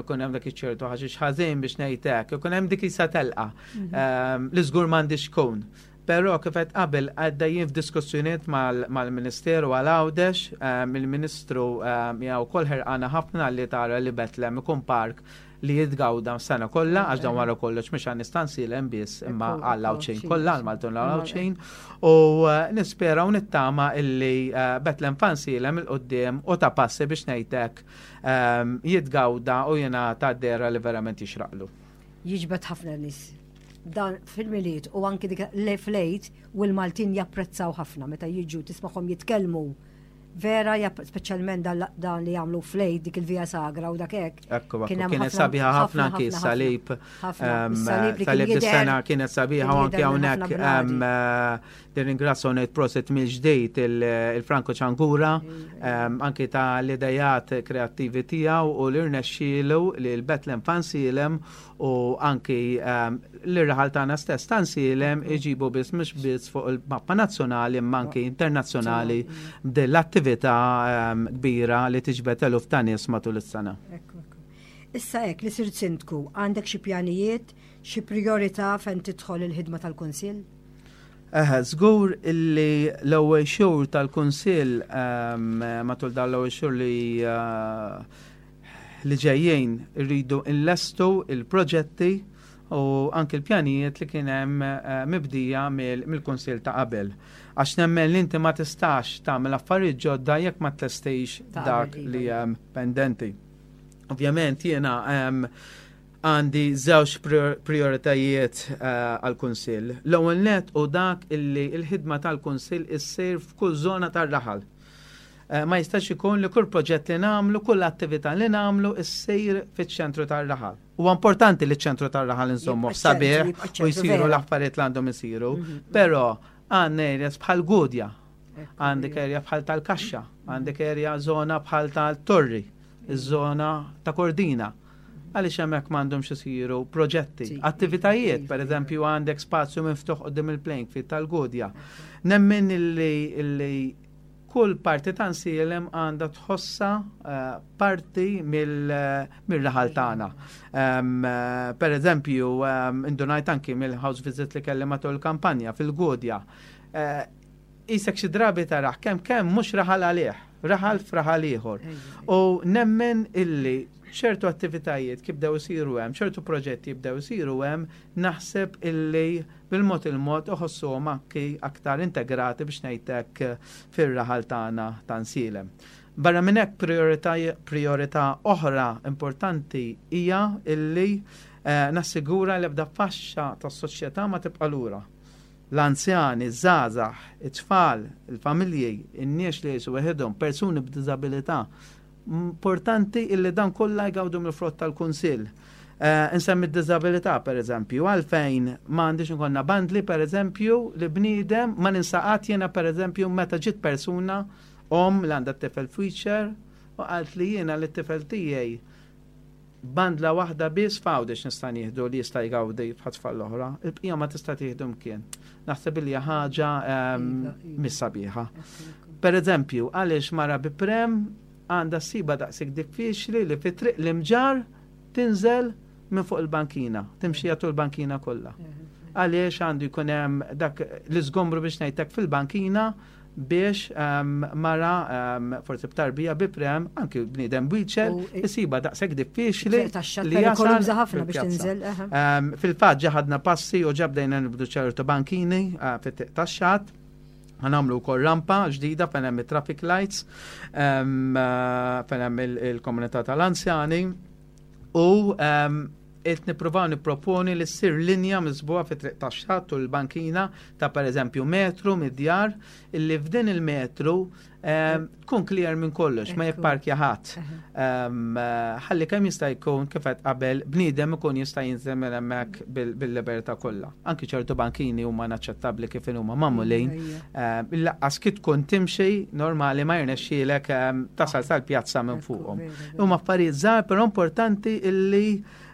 ikun hemm dak iċ-ċertu ħaxix ħażin, biex ngħidlek, ikun hemm dik isa telqa mhm. li żgur m'għandix tkun. Però kif qed qabel, għaddejjin f'diskussjonijiet mal-Ministeru għal Għawdex, il-Ministru hija wkoll ħerqana ħafna li tara li Betlem ikun park li jitgawda sena kollha, għax dan wara kollox mhux għan Għajnsielem biss imma għal Għawdxin kollha, għal Maltin Għawdxin, u eh, nispera u nittama illi eh, Betlem f'Għajnsielem 'il quddiem u Ta' Passi, biex ngħidlek, ehm, jitgawda u jingħata dehra li verament jixraqlu. Jiġbed ħafna nies dan fil-Milied u anki dik fl-Għid, u l-Maltin japprezzaw ħafna meta jiġu, tismagħhom jitkellmu vera, speċjalment dan li jagħmlu fl-Għid, dik il-Via Sagra u dak hekk. Ekku, kienet sabiħa ħafna anki s-salib. Salib is-sena kienet sabiħa u anki hawnhekk nirringrazzja u ngħid prosit mill-ġdid il-Franco Ċangura anki ta' l-idejat kreattivi tiegħu u li rnexxielu li l-Betlem f'Għajnsielem u anki l-raħal tagħna stess t'Għajnsielem iġibu biss mhux biss fuq il-mappa nazzjonali imma anki internazzjonali dell-attività kbira li tiġbed eluf ta' nies matul is-sena. Issa hekk li sirt sindku, għandek xi pjanijiet, xi priorità fejn tidħol il-ħidma tal-Kunsill? Eħe, żgur illi l-ewwel xhur tal-Kunsill, matul dan l-ewwel xhur li eh, li ġejjin, irridu nlestu il-proġetti u anki l-pjanijiet li kien hemm eh, mibdija mill-Kunsill ta' qabel. Għax nemmen li inti ma tistax tagħmel affarijiet ġodda jekk ma tlestix dak li hemm pendenti. Ovvjament jiena għandi żewġ prioritajiet eh, għal-Kunsill. L-ewwel net u dak illi l-ħidma tal-Kunsill issir f'kull żona tar-raħal. Eh, ma jistax ikun li kull proġett li nagħmlu, kull attività li nagħmlu issir fiċ-ċentru tar-raħal. Huwa importanti li ċ-ċentru tar-raħal insommu sabiħ u jsiru l-affarijiet li għandhom isiru, mhm. però għandna areas bħal Gudja, għandek area bħal tal-Kaxxa, għandek area zona bħal tal-Torri, iż-żona ta' Kordina. Għaliex hemmhekk m'għandhomx isiru proġetti, attivitajiet, per eżempju għandek spazju miftuħ quddiem il-playing field tal-Gudja? Nemmen illi kull parti ta' Għajnsielem għandha tħossa eh, parti mill-raħal tagħna. Eh, per eżempju, indunajt anki mill-house visit li kelli matul il-kampanja fil-Gudja. Eh, isek xi drabi taraħ kemm kemm mhux raħal għalih, raħal f'raħal ieħor. U nemmen illi ċertu attivitajiet kif bdew isiru hemm, ċertu proġetti jibdew isiru hemm, naħseb illi bil-mod il-mod uħossuhom anki aktar integrati, biex ngħidlek, fir-raħal tagħna ta' Għajnsielem. Barra minn hekk, priorità oħra importanti hija illi eh, nassigura li ebda faxxa tas-soċjetà ma tibqa' lura. L-anzjani, iż-żgħażagħ, it-tfal, il-familji, in-nies li jgħixu weħidhom, persuni b'diżabilità, Importanti illi dan kollha jgawdu mill-frott tal-kunsill. Uh, insemmi d-disabilità, per eżempju, għalfejn ma għandix ikollna bandli, per eżempju, li bniedem ma ninsaqat jena, per eżempju, meta ġiet persuna om li għandha t-tifel f'wheelchair u qalt li jiena li t-tifel tiegħi bandla waħda biss f'Għawdex nista' nieħdu li jista' jgawdi bħat-tfal l-oħra, il-bqija ma tista' tieħdu mkien. Naħseb li ħaġa ehm, Iva, iva. mhix sabiħa. Per eżempju, għaliex mara bi pram għandha ssibha daqshekk diffiċli li fi triq l-Imġarr tinżel minn fuq il-bankina, timxi tul il-bankina kollha. Għaliex għandu jkun hemm dak l-iżgombru biex ngħidlek fil-bankina biex um, mara um, forsi b'tarbija bi pram, anki bniedem wheelchair, U- isibha daqshekk diffiċli Tax-xatt li jasal perikoluża ħafna biex fil-pjazza. tinżel. aha. Um, Fil-fatt ġa ħadna passi u ġa bdejna nibdlu ċertu bankini uh, fit-triq tax-xatt. Ħa nagħmlu wkoll rampa ġdida fejn hemm it-traffic lights, um, uh, fejn hemm il- il-komunità tal-anzjani u um, qed nippruvaw nipproponi li ssir linja miżbugħa fi triq tax-xatt u l-bankina ta' pereżempju metru mid-djar illi f'din il-metru um, tkun clear minn kollox, ma Ekku. jipparkja ħadd. Aha. Um, eh, ħalli kemm jista' jkun kif qed qabel bniedem ikun jista' jinżel minn hemmhekk bil- bil-libertà kollha. Anki ċertu bankini huma inaċċettabbli kif huma magħmulin. Ija. Um, Lanqas kif tkun timxi normali ma jirnexxielek um, tasal sal-pjazza minn Ekku, fuqhom. vera, vera. Huma affarijiet żgħar però importanti illi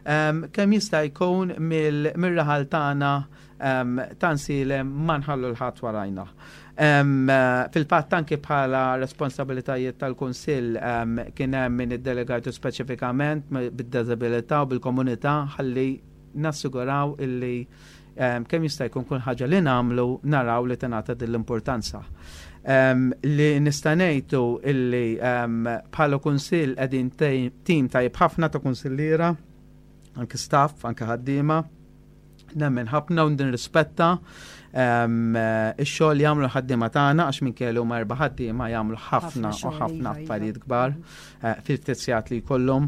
um, kemm jista' jkun mill- mir-raħal tagħna um, t'Għajnsielem ma nħallu 'l ħadd warajna. Um, eh, Fil-fatt anki bħala responsabilitajiet tal-Kunsill um, kien hemm min iddelegatu speċifikament bid-disabilità u bil-komunità ħalli nassiguraw illi um, kemm jista' jkun kull ħaġa li nagħmlu naraw li tingħata din l-importanza. Um, li nista' ngħidu illi um, bħala kunsill qegħdin tim tajjeb ħafna ta' kunsilliera, anke staff, anke ħaddiema, nemmen ħafna u nirrispetta um, eh, ix-xogħol li jagħmlu ħaddiema tagħna għax minn kellu ma erba' ħaddiema jagħmlu ħafna Ħafna u xogħol, ħafna iva, iva. affarijiet kbar eh, fil-ftit sigħat li jkollhom.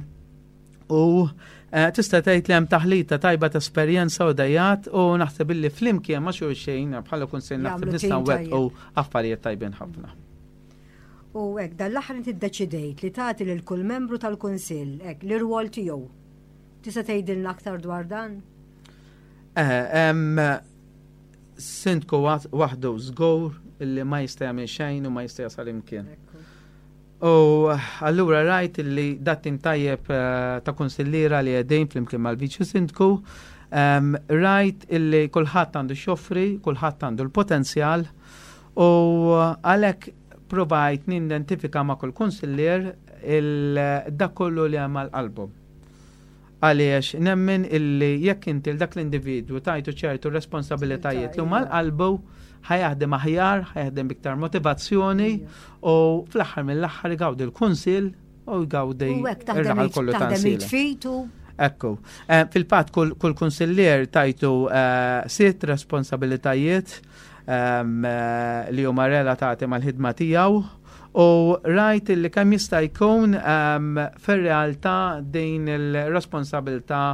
U eh, tista' tgħid li hemm taħlita tajba ta' esperjenza u ideat u naħseb illi flimkien ma' xulxin bħala kunsill naħseb Jagħmlu nistgħu tim wettqu affarijiet tajbin ħafna. U hekk, dan l-aħħar inti ddeċidejt li tagħti lil kull membru tal-Kunsill hekk l-irwol tiegħu. Tista' tgħidilna aktar dwar dan? Eh, em, Sindku waħdu żgur illi ma jista' jagħmel xejn u ma jista' jasal imkien. Ekku. U allura rajt illi dat-tim tajjeb eh, ta' kunsilliera li qegħdin flimkien mal-viċi sindku, em, rajt illi kulħadd għandu x'joffri, kulħadd għandu l-potenzjal u għalhekk provajt nidentifika ma' kull kunsillier il- dak kollu li hemm għal qalbu. Għaliex nemmen illi jekk inti l dak l-individwu tajtu ċertu responsabilitajiet li huma għal qalbu ħa jaħdem aħjar, ħa jaħdem b'iktar motivazzjoni u fl-aħħar mill-aħħar jgawdi l-kunsill u jgawdi U hekk taħdem ir-raħal kollu taħdem t'Għajnsielem. id f'id u Ekku. Eh, Fil-fatt kull, kull kunsillier tajtu eh, sitt responsabilitajiet ehm, eh, li huma relatati mal-ħidma tiegħu u rajt li kemm jista' jkun ehm, fir-realtà din il-responsabilità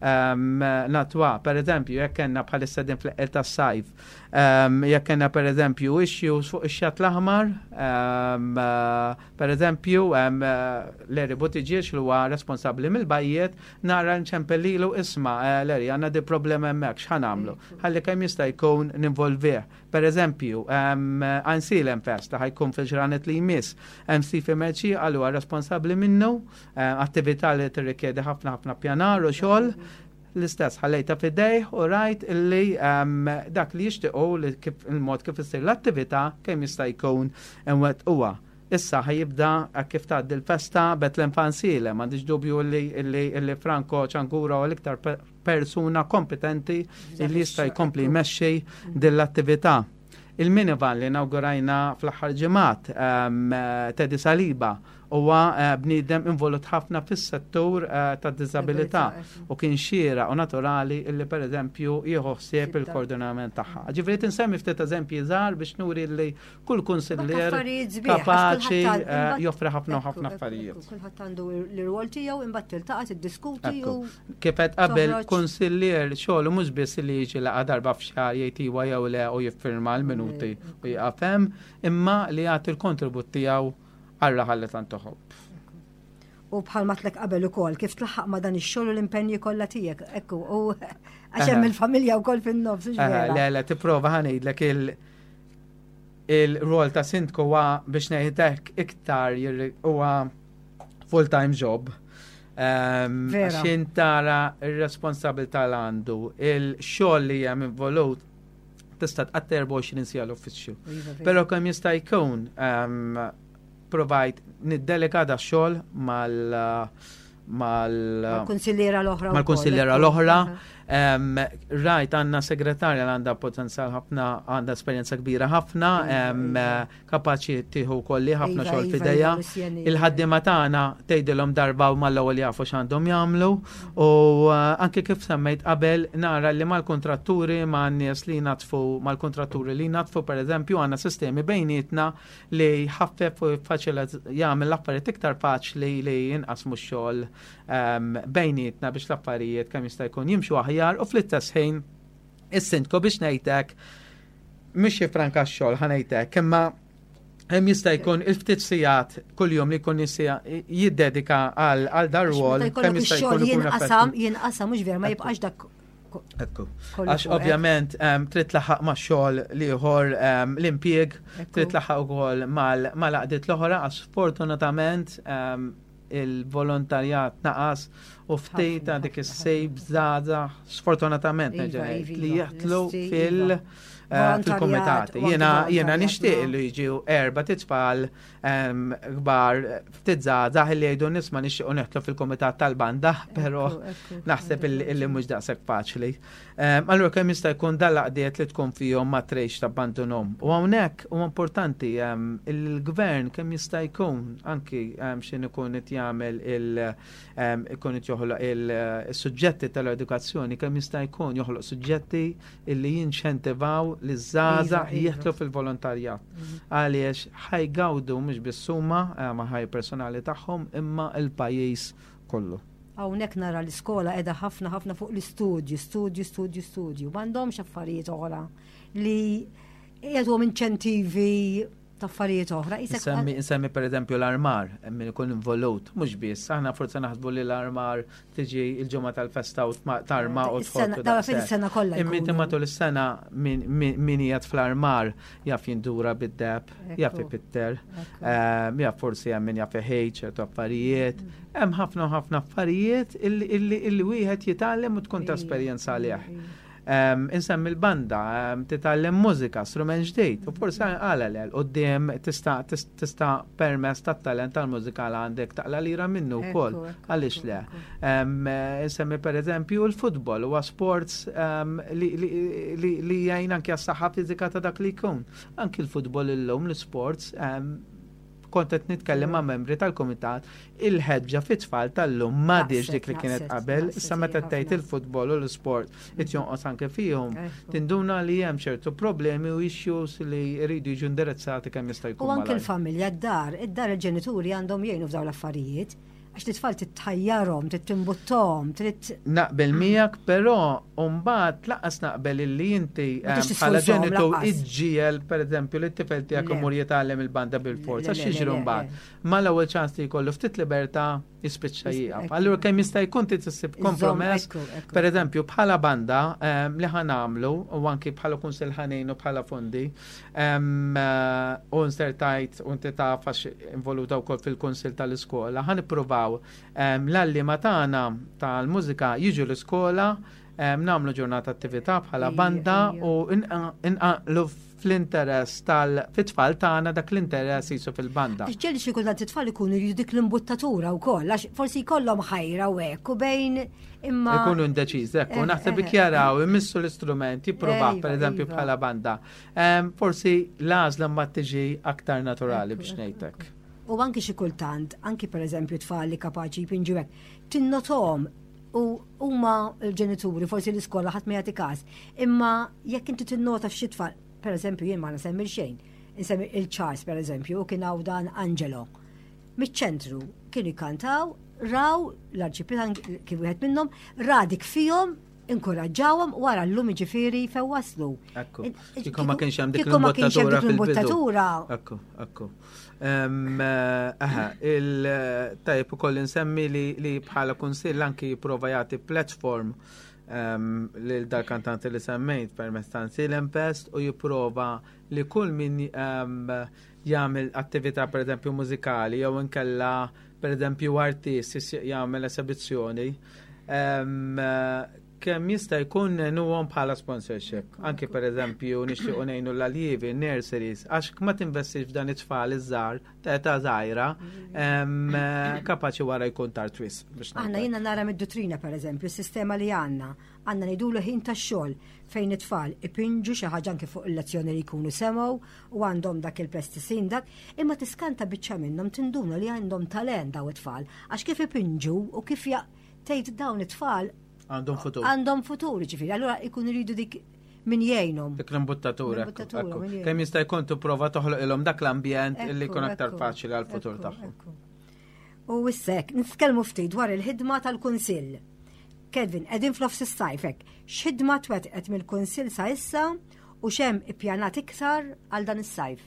um, natwa. Per eżempju, jekk kellna bħalissa din fl tas-sajf, um, jekk kellna per eżempju issues fuq ix-xatt l-aħmar, um, uh, per eżempju, um, uh, Larry Buttigieg li huwa responsabbli mill-bajjiet, nara nċempellilu isma' uh, Larry, għandna di problema hemmhekk, x'ħa nagħmlu? Ħalli kemm jista' jkun ninvolvih. Per eżempju, um, Għajnsielem Fest ħa jkun fil-ġranet li jmiss, hemm Stephen Mercieca għal huwa responsabbli minnu, uh, attività li tirrikjedi ħafna ħafna pjanar u xogħol, l-istess ħallejta f'idejh u rajt illi um, dak li jixtiequ li kif il-mod kif issir l-attività kemm jista' jkun huwa. Issa ħa jibda kif tgħaddi l-festa Betlem f'Għajnsielem, m'għandix dubju li, li, li Franco Ciangura u l-iktar persuna kompetenti li jista' jkompli jmexxi din l-attività. Il-minivan li inaugurajna fl-aħħar ġimgħat um, Teddy Saliba huwa uh, bniedem involut ħafna fis-settur uh, tad-diżabilità u kien xieraq u naturali illi pereżempju jieħu ħsieb il-koordinament tagħha. Ġifieri tinsemmi ftit eżempji żgħar biex nuri li kull kunsillier kapaċi uh, joffri ħafna u ħafna affarijiet. Kulħadd għandu l-rwol tiegħu imbagħad tiltaqa' tiddiskuti u Kif qed qabel kunsillier xogħlu mhux biss li jiġi laqgħa darba f'xahar jgħid iwa jew le u jiffirma l-minuti u jieqaf hemm, imma li jagħti l-kontribut tiegħu għal raħal li tant iħobb. U bħal matlek qabel ukoll kif tlaħħaq ma' dan ix-xogħol u l-impenji kollha tiegħek. Ekku, u għax hemm il-familja wkoll fin-nofs. Le, le, tipprova, ħa ngħidlek, il- il-rol ta' sindku huwa, biex ngħidlek, iktar huwa full-time job. Għax tara ir-responsabilità l għandu, il-xogħol li hemm involut, tista' tqatta' erbgħa u għoxrin siegħa l-uffiċċju. Iva, Però kemm jista' jkun provajt niddelega da xogħol mal mal Mal-kunsilliera l-oħra. Mal-kunsilliera l-oħra. Rajt għandna segretarja li għandha potenzjal ħafna, għandha esperjenza kbira ħafna, iva, kapaċi tieħu kolli ħafna iva, xogħol iva, f'idejha. Il-ħaddiema tagħna tgħidilhom darba u mal-ewwel jafu x'għandhom jagħmlu u eh, anke kif semmejt qabel, nara li mal-kontratturi, ma' nies li natfu, mal-kontratturi li natfu pereżempju, għandna sistemi bejnietna li ħaffef u faċili jagħmel l-affarijiet iktar faċli li jinqasmu x-xogħol bejnietna biex l-affarijiet kemm jista' jkun jimxu aħjar. U fl-istess ħin is-sindku, biex ngħidlek, mhux jifranka x-xogħol, ħa ngħidlek, imma hemm jista' jkun il-ftit sigħat kuljum li jkun jiddedika għal dar-rwol kemm jista' jkun jinqasam jinqasam mhux vera, ma jibqax dak. Ekku. Għax ovvjament trid tlaħħaq ma' xogħol ieħor, l-impjieg, trid tlaħħaq ukoll mal-għaqdiet l-oħra, għax fortunatament il-volontarjat naqas u ftit ta' dik is-sejb żgħażagħ, sfortunatament, iva, iva, li jidħlu fil- eh, fil-komitati. Jena jena nixtieq li jiġu erba' titfal kbar, ftit żgħażagħ li jgħidu, "Nisma', nixtiequ nidħlu fil-komitat tal-banda", però naħseb illi mhux daqshekk faċli. Allura kemm jista' jkun dal-għaqdiet li tkun fihom ma trejx tabbandunhom. U hawnhekk huwa importanti il-gvern kemm jista' jkun anki x'in ikun qed jagħmel il ikun qed joħloq il-suġġetti tal-edukazzjoni, kemm jista' jkun joħloq suġġetti illi jinċentivaw li żgħażagħ iva, iva. jidħlu fil-volontarjat. Mhm. Għaliex ħa jgawdu mhux biss huma ma' ħajja personali tagħhom imma il-pajjiż kollu. Hawnhekk nara l-iskola qiegħda ħafna ħafna fuq l-istudju, studju, studju, studju. M'għandhomx affarijiet oħra li jagħtuhom inċentivi ta' affarijiet oħra. Insemmi, insemmi per eżempju l-armar, min ikun involut, mhux biss, aħna forse naħsbu li l-armar tiġi il-ġimgħa tal-festa u tarma u tħottu. Da fil-sena kollha. Imma inti matul is-sena min qiegħed fl-armar jaf jindura bid-deb, jaf ipitter, ehm, jaf forsi hemm min jaf iħejt ċertu affarijiet. Hemm ħafna ħafna affarijiet illi wieħed jitgħallem u tkun ta' esperjenza għalih. Insemmi l-banda, titgħallem mużika, strument ġdid, u forsi għala l quddiem tista' tista' permezz tat-talent tal-mużika li għandek taqla lira minnu wkoll, għaliex le? Insemmi per eżempju l-futbol, huwa sports li jgħin anke għas-saħħa fiżika ta' dak li jkun. Anki l-futbol illum, l-sports, kont qed nitkellem ma' membri tal-komitat, il-ħeġġa fit-tfal tal-lum m'għadhiex dik li kienet qabel, issa meta tgħid il-futbol u l-sport qed jonqos anke fihom. Tinduna li hemm ċertu problemi u issues li jridu jiġu indirizzati kemm jista' jkun. U anke l-familja, d-dar, id-dar, il-ġenituri għandhom jgħinu f'dawn l-affarijiet għax t-tfal titħajjarhom, tittimbuttom, trid. Naqbel miegħek, però mbagħad lanqas naqbel illi inti bħala ġenitur iġġiegħel pereżempju li t-tifel tiegħek imur jitgħallem il-banda bil-forza. X'jiġri mbagħad? Mal-ewwel ċans li jkollu ftit libertà jispiċċa jieqaf. Allura kemm jista' jkun trid issib kompromess. Per eżempju, bħala banda li ħa nagħmlu u anki bħala kunsill ħa ngħinu bħala fondi u nsertajt u inti taf għax involuta wkoll fil-kunsill tal-iskola, ħa nippruvaw l-għalliema tagħna tal-mużika jiġu l-iskola, nagħmlu ġurnata attività bħala banda u inqanqlu fl-interess tal-fit-tfal tagħna dak l-interess jisu fil-banda. Ġieli xi kultant it-tfal ikunu jridu dik l-imbuttatura wkoll, għax forsi jkollhom ħajra u hekk u bejn imma. Ikunu indeċiż, ekku, eh, naħseb eh, jaraw, imissu l-istrument, jippruvaw per eżempju iva. bħala banda. Forsi l-għażla ma tiġi aktar naturali, biex ngħidlek. U anki xi kultant, anki per eżempju tfal li kapaċi jpinġu hekk, tinnotom u huma l-ġenituri, forsi l-iskola ħadd ma jagħti każ. Imma jekk inti tinnota f'xi tfal, per eżempju jien ma nsemmi xejn, insemmi il-Charles per eżempju, u kien hawn dan Angelo. Miċ-ċentru kienu jkantaw, raw l-arċipriet kien wieħed minnhom, ra dik fihom. Inkoraġġawhom wara llum, ġifieri, fejn waslu. Ekku. Kieku ma kienx hemm dik Kieku ma kienx hemm l-imbottatura dik fil-bidu. l-imbottatura. Ekku, ekku. Em, eh, Aha, il-tajb ukoll insemmi li, li bħala kunsill anki jipprova jagħti platform um, lil dal-kantanti li semmejt permezz ta' Għajnsielem Fest u jipprova li kull min um, jagħmel attività, per eżempju mużikali, jew inkella, per eżempju, artist jis- jagħmel esibizzjoni, um, kemm jista' jkun ngħinuhom bħala sponsorship. Anki, per eżempju, nixtiequ ngħinu l-aljivi, nurseries, għax ma tinvestix f'dan it-tfal iż-żgħar ta' età żgħira, em, kapaċi wara jkun tard wisq biex Aħna ngħid. jiena nara mid-duttrina, per eżempju, s-sistema li għandna, għandna ngħidulu ħin tax-xogħol fejn it-tfal ipinġu xi ħaġa anke fuq il-lezzjoni li jkunu semgħu u għandhom dak il-plasticine dak, imma tiskanta biċċa minnhom, tinduna li għandhom talent daw it-tfal, għax kif ipinġu u kif ja tgħid dawn it-tfal Għandhom futur. għandhom futur, ġifieri, allura ikun iridu dik min jgħinhom. Dik l-imbuttatura. Ekku, L-imbuttatura, ekku. min jgħin. Kemm jista' jkun tipprova toħloq ilhom dak l-ambjent illi jkun Ekku, aktar ekku, faċli għal-futur ekku, tagħhom. Ekku. U issa, nitkellmu ftit dwar il-ħidma tal-Kunsill. Kevin, qegħdin f'nofs is-sajf hekk. X'ħidma twettqet mill-Kunsill sa issa u x'hemm ippjanat iktar għal dan is-sajf?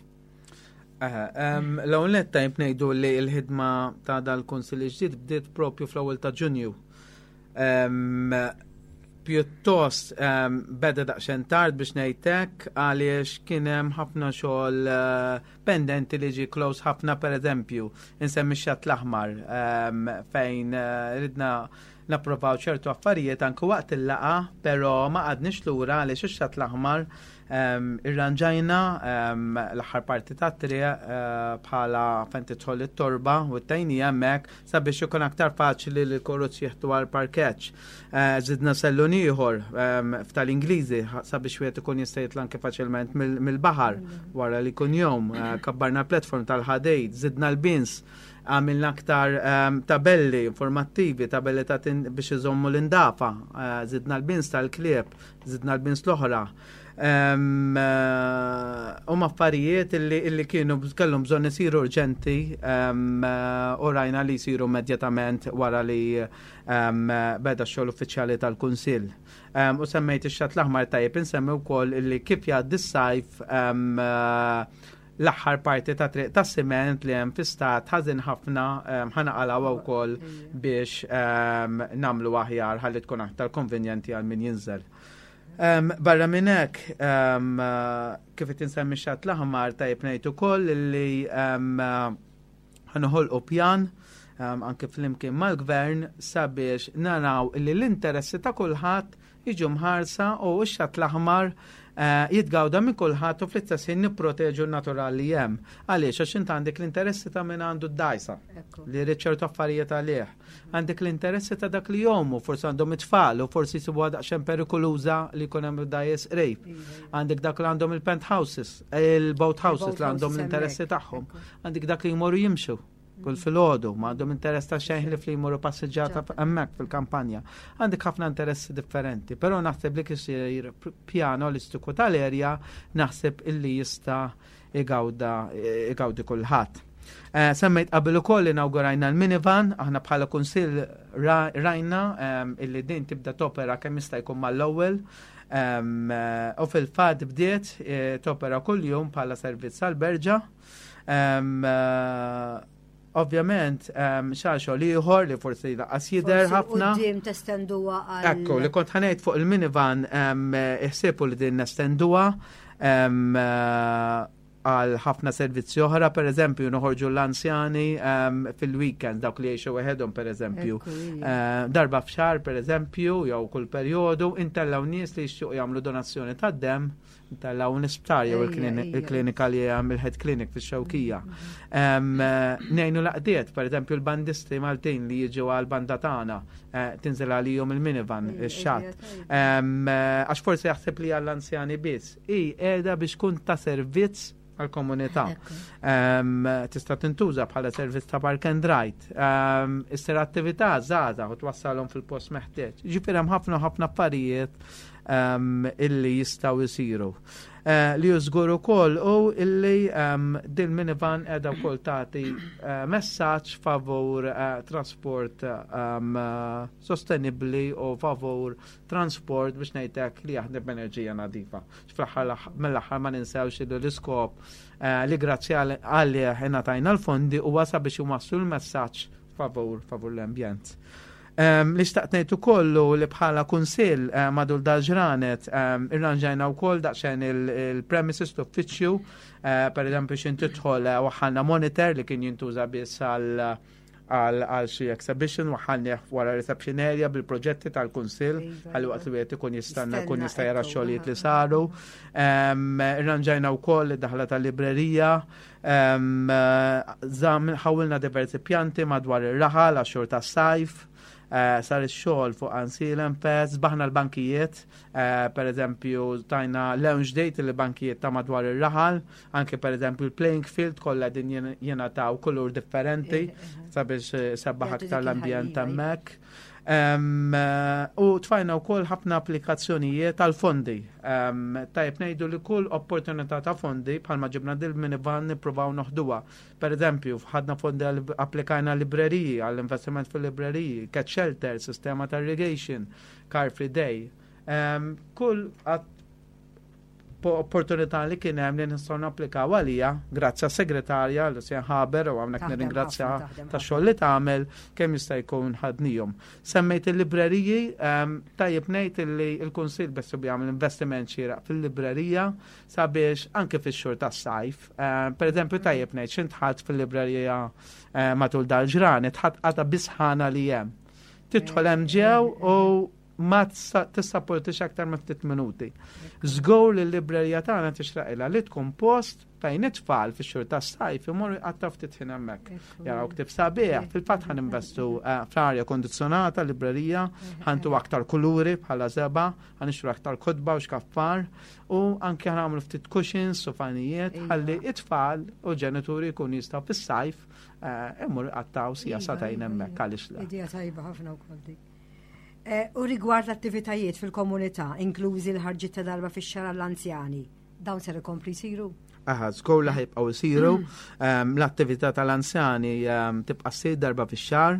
Aha, em, L-ewwel nett tajb ngħidu li l-ħidma ta' dal-Kunsill ġdid bdiet propju fl-ewwel ta' Ġunju. Em, Pjuttost em, beda daqsxejn tard biex ngħidlek, għaliex kien hemm ħafna xogħol eh, pendenti li ġi close ħafna. Per eżempju, insemmi x-Xatt l-Aħmar, em, fejn eh, ridna napprovaw ċertu affarijiet anke waqt il-laqgħa, però ma qgħadniex lura għaliex ix-Xatt l-Aħmar em, irranġajna em, l-aħħar parti tat-triq eh, bħala fejn tidħol it-torba u t-tajnija hemmhekk sabiex ikun aktar faċli li l-karozzi jieħdu għal parkeġġ. Eh, Żidna sellun ieħor em, f'tal-Ingliżi sabiex wieħed ikun jista' jitla' anke faċilment mill- mill-baħar wara li jkun jom. Eh, Kabbarna l-platform tal-ħadid, żidna l-bins, għamilna aktar um, tabelli informattivi, tabelli ta' tin- biex iżommu l-indafa, uh, zidna l-bins tal-klieb, zidna l-bins l-oħra. Um, uh, um affarijiet illi, illi kienu kellhom bżonn isiru urġenti um, uh, u rajna li jsiru immedjatament wara li um, beda x-xogħol uffiċjali tal-Kunsill. Um, u semmejt ix-Xatt l-Aħmar, tajjeb insemmi wkoll illi kif jgħaddi s-sajf, um, uh, l-aħħar parti ta' triq ta' siment li hemm fi stat ħażin ħafna um, ħa naqilgħuha wkoll biex um, nagħmlu aħjar ħalli tkun aktar konvenjenti għal min jinżel. Um, barra minn hekk, um, uh, kif qed insemmi Xatt l-Aħmar, tajjeb ngħid ukoll li um, uh, ħa noħolqu pjan um, anke flimkien mal-gvern sabiex naraw li l-interessi ta' kulħadd jiġu mħarsa u x-Xatt l-Aħmar eh, jitgawda minn kulħadd u fl-istess ħin nipproteġu n-natural li hemm. Għaliex? Għax int għandek l-interessi ta' min għandu d-dgħajsa Ekku. li jrid ċertu affarijiet għalih. Għandek l-interessi ta' dak li jgħumu, forsi għandhom it-tfal u forsi jsibuha daqsxejn perikoluża li jkun hemm dgħajjes qrib. Għandek dak li għandhom il-penthouses, il-boat houses li għandhom houses l-interessi hemmhekk. tagħhom. Għandek dak li jmorru jimxu kull filgħodu, ma għandhom interess ta' xejn li fli jmorru passiġġata hemmhekk fil-kampanja. Għandek ħafna interessi differenti, però naħseb li kisir pjan olistiku tal-erja, naħseb illi jista' igawda igawdi kulħadd. Eh, Semmejt qabel ukoll inaugurajna l-minivan. Aħna bħala kunsill ra- rajna em, illi din tibda topera kemm jista' jkun mal-ewwel. Em, eh, U fil-fatt bdiet eh, topera kuljum bħala servizz għal-Berġa. Em, eh, Ovvjament, um, xogħol ieħor li forsi lanqas jidher Forsi ħafna. Quddiem testenduha għal. Ekku, li kont ħa ngħid fuq il-minivan, um, iħsibu li din nestenduha um, eh, għal ħafna servizzi oħra, per eżempju, noħorġu l-anzjani um, fil-weekend, dawk li jgħixu weħedhom, per eżempju. Ekku, ija. Eh, darba f'xahar, per eżempju, jew kull perjodu, intellaw nies li jixtiequ jagħmlu donazzjoni tad-dem, intellaw l-isptar jew Ejja, il-klini- ejja. il-klinika li hemm, il-head clinic fix-Xewkija. Em, eh, Ngħinu l-għaqdiet, per eżempju, l-bandisti Maltin li jiġu għal-banda tagħna, eh, tinżel għalihom il-minivan, Ejja, ix-xatt. ejja, tajba. Em, eh, Għax forsi jaħseb li għall-anzjani biss. I qiegħda biex kun ta' servizz għal-komunità. Ekku. Um, tista' tintuża bħala servizz ta' park and ride. Um, issir attività żgħażagħ u twassalhom fil-post meħtieġ. Ġifieri hemm ħafna ħafna affarijiet. illi jistgħu jsiru. Eh, li żgur ukoll u illi din minivan qiegħda wkoll tagħti eh, messaġġ favur eh, trasport sostenibbli u favur transport biex ngħidlek li jaħdem b'enerġija nadifa. Fl-aħħar mill-aħħar ma ninsewx li l-iskop li grazzi għalih ingħatajna l-fondi huwa sabiex iwasslu l-messaġġ favur favur l-ambjent. Um, li xtaqt ngħid ukoll li bħala kunsill uh, madul dal-ġranet um, irranġajna wkoll daqsxejn il-premises l-uffiċċju, uh, per eżempju x'ħin tidħol uh, waħħalna monitor li kien jintuża biss għal għal xi exhibition, waħħalni wara reception area bil-proġetti tal-kunsill Iva, għal waqt li wieħed ikun jistanna jkun jista' jara ekku, xogħlijiet li saru. Irranġajna wkoll id-daħla tal-librerija, ħawilna diversi pjanti madwar ir-raħal għax-xhur tas-sajf. Uh, sar ix-xogħol fuq Għajnsielem Fest, sbaħna l-bankijiet, uh, per eżempju tajna lounge date il-bankijiet ta' madwar ir-raħal, anke per eżempju il-playing field kollha din jingħataw kulur differenti sabiex eh, sebbaħ aktar l-ambjent hemmhekk. Um, u tfajna wkoll ħafna applikazzjonijiet tal-fondi. Um, tajjeb ngħidu li kull opportunità ta' fondi bħalma ġibna dil minivan nippruvaw noħduha. Per eżempju, ħadna fondi għal applikajna libreriji, għall-investiment fil-libreriji, cat shelter, sistema ta' irrigation, car free day. Um, kull opportunità li kien hemm li nistgħu napplikaw għalija, grazzi għas-segretarja Lucian Haber, u hawnhekk nirringrazzja tax-xogħol li tagħmel, kemm jista' jkun ħadnihom. Semmejt il-libreriji, tajjeb ngħid li l-Kunsill beħsiebu jagħmel investiment xieraq fil-librerija sabiex anke fix-xhur tas-sajf. Per eżempju, tajjeb ngħid x'ħin dħalt fil-librerija matul dal-ġranet, ħadt qatgħa bis-sħana li hemm. Tidħol hemm ġew u ma tissapportix aktar ma ftit minuti. Żgur li l-librerija tagħna tixraqilha li tkun post fejn it-tfal fix-xhur tas-sajf imorru jqattgħu ftit ħin hemmhekk. Jaraw ktieb sabiħ, fil-fatt ħa ninvestu fl-arja kondizzjonata librerija, ħa ntu aktar kuluri bħala żebgħa, ħa nixtru aktar kotba u xkaffar u anke ħa nagħmlu ftit cushions u fanijiet ħalli it-tfal u ġenituri jkunu jistgħu fis-sajf imorru jqattgħu siegħa sagħtejn hemmhekk, għaliex le. Idea tajba ħafna wkoll dik. U rigward l-attivitajiet fil-komunità, inklużi l-ħarġiet ta' darba fix-xahar l-anzjani, dawn ser ikompli jsiru? Aha, żgur li ħa jibqgħu jsiru. L-attività tal-anzjani tibqa' ssir darba fix-xahar.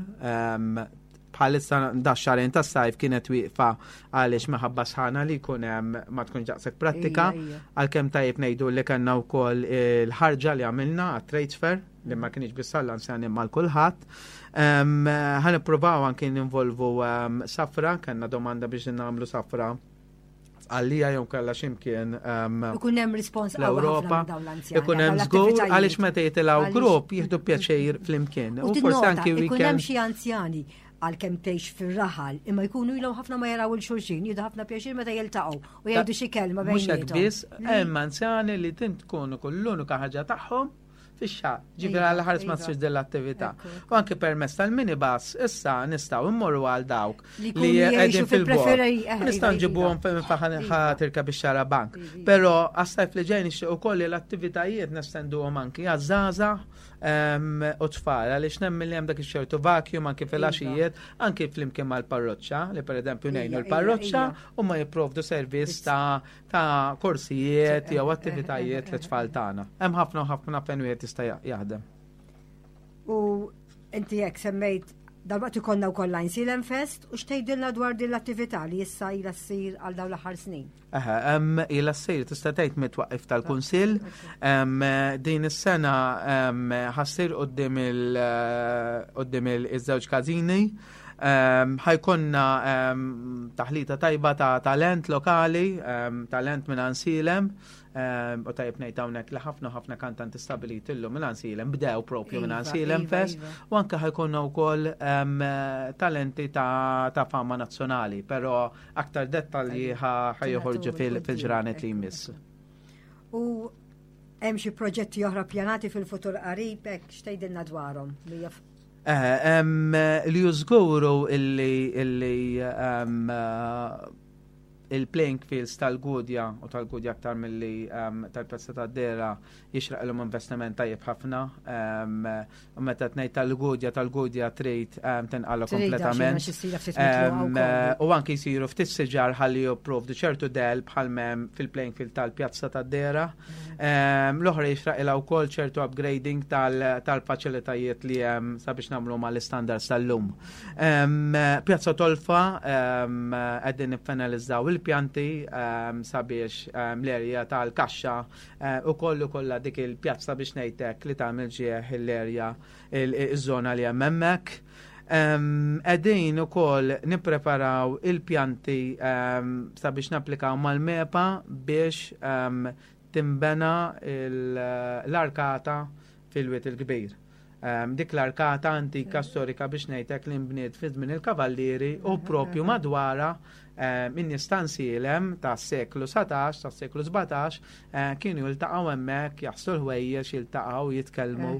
Bħalissa da xahrejn tas-sajf kienet wieqfa għaliex minħabba sħana li jkun hemm ma tkunx daqshekk prattika. Għalkemm tajjeb ngħidu li kellna wkoll il-ħarġa li għamilna għat-trade fair li ma kienx biss għall-anzjani ma' kulħadd. Ħa nippruvaw anke ninvolvu safra, kellna domanda biex nagħmlu safra għallija jew kellha x'imkien Ikun hemm rispons l-Ewropa. Ikun hemm żgur għaliex meta jitilgħu grupp jieħdu pjaċir flimkien. U forsi anke weekend. Ikun hemm xi anzjani għalkemm tgħix fir-raħal, imma jkunu ilhom ħafna ma jaraw lil xulxin, jieħdu ħafna pjaċir meta jiltaqgħu u jgħidu xi kelma Mhux hekk biss, hemm anzjani li tint tkun ukoll l-unika ħaġa tagħhom fix-xahar. Ġifieri għal ħares ma tsirx din l-attività. U anke permezz tal-minibus issa nistgħu immorru għal dawk li qegħdin fil-bogħod. Nistgħu nġibuhom fejn ħa tirkeb ix-xarabank. Però għas-sajf li ġej nixtieq ukoll li l-attivitajiet nestenduhom anki għaż-żgħażagħ u tfal, għaliex nemmen li hemm dak ix-ċertu vacuum anki fil-għaxijiet, anki flimkien mal-parroċċa, li pereżempju ngħinu l-parroċċa u ma jipprovdu servizz ta' ta' korsijiet jew attivitajiet lit-tfal tagħna. Hemm ħafna u ħafna fejn wieħed jista' jaħdem. U inti jekk semmejt dal-waqt ikollna wkoll Għajnsielem Fest, u x'tgħidilna dwar din l-attività li issa ilha ssir għal dawn l-aħħar snin? Aha, ilha ssir tista' tgħid mit-twaqqif tal-Kunsill. Din is-sena ħa ssir quddiem quddiem iż-żewġ każini. Ħa jkollna taħlita tajba ta' talent lokali, talent minn Għajnsielem, u tajjeb ngħid hawnhekk li ħafna ħafna kantanti stabiliti illum minn Għajnsielem bdew propju minn Għajnsielem Fest, u anke ħa jkollna wkoll talenti ta' fama nazzjonali, però aktar dettalji ħa joħorġu fil-ġranet li jmiss. U hemm xi proġetti oħra pjanati fil-futur qarib, hekk x'tgħidilna dwarhom? Li żgur illi illi Il-playing fields tal-Gudja u tal-Gudja aktar milli um, tal-Pjazza tad-Dehra jixraqilhom investiment tajjeb ħafna. Um, u meta tnejn tal-Gudja tal-Gudja trid um, tinqala kompletament. Um, u anki jsiru ftit siġar ħalli jipprovdu ċertu dell bħal m'hemm fil-playing field tal-Pjazza tad-Dehra. Um, L-oħra jixraqilha wkoll ċertu upgrading tal-faċilitajiet li hemm sabiex nagħmlu mal-istandards tal-lum. Um, Pjazza Tolfa qegħdin niffinalizzaw il-pjanti um, sabiex um, l-erja tal-kaxxa uh, u kollu kollha dik il-pjazza biex ngħidlek li tagħmel ġieħ l-erja, iż-żona li hemm hemmhekk. Qegħdin ukoll nippreparaw il-pjanti um, sabiex napplikaw mal-MEPA biex um, timbena l-arkata fil-Wied il-Kbir. Um, dik l-arkata antika storika biex ngħidlek li nbniet fi żmien il-Kavallieri u propju madwara in-nies ta' Għajnsielem ta' seklu satax, ta' seklu sbatax, eh, kienu jiltaqgħu hemmhekk, jaħslu l-ħwejjeġ, jiltaqgħu, jitkellmu.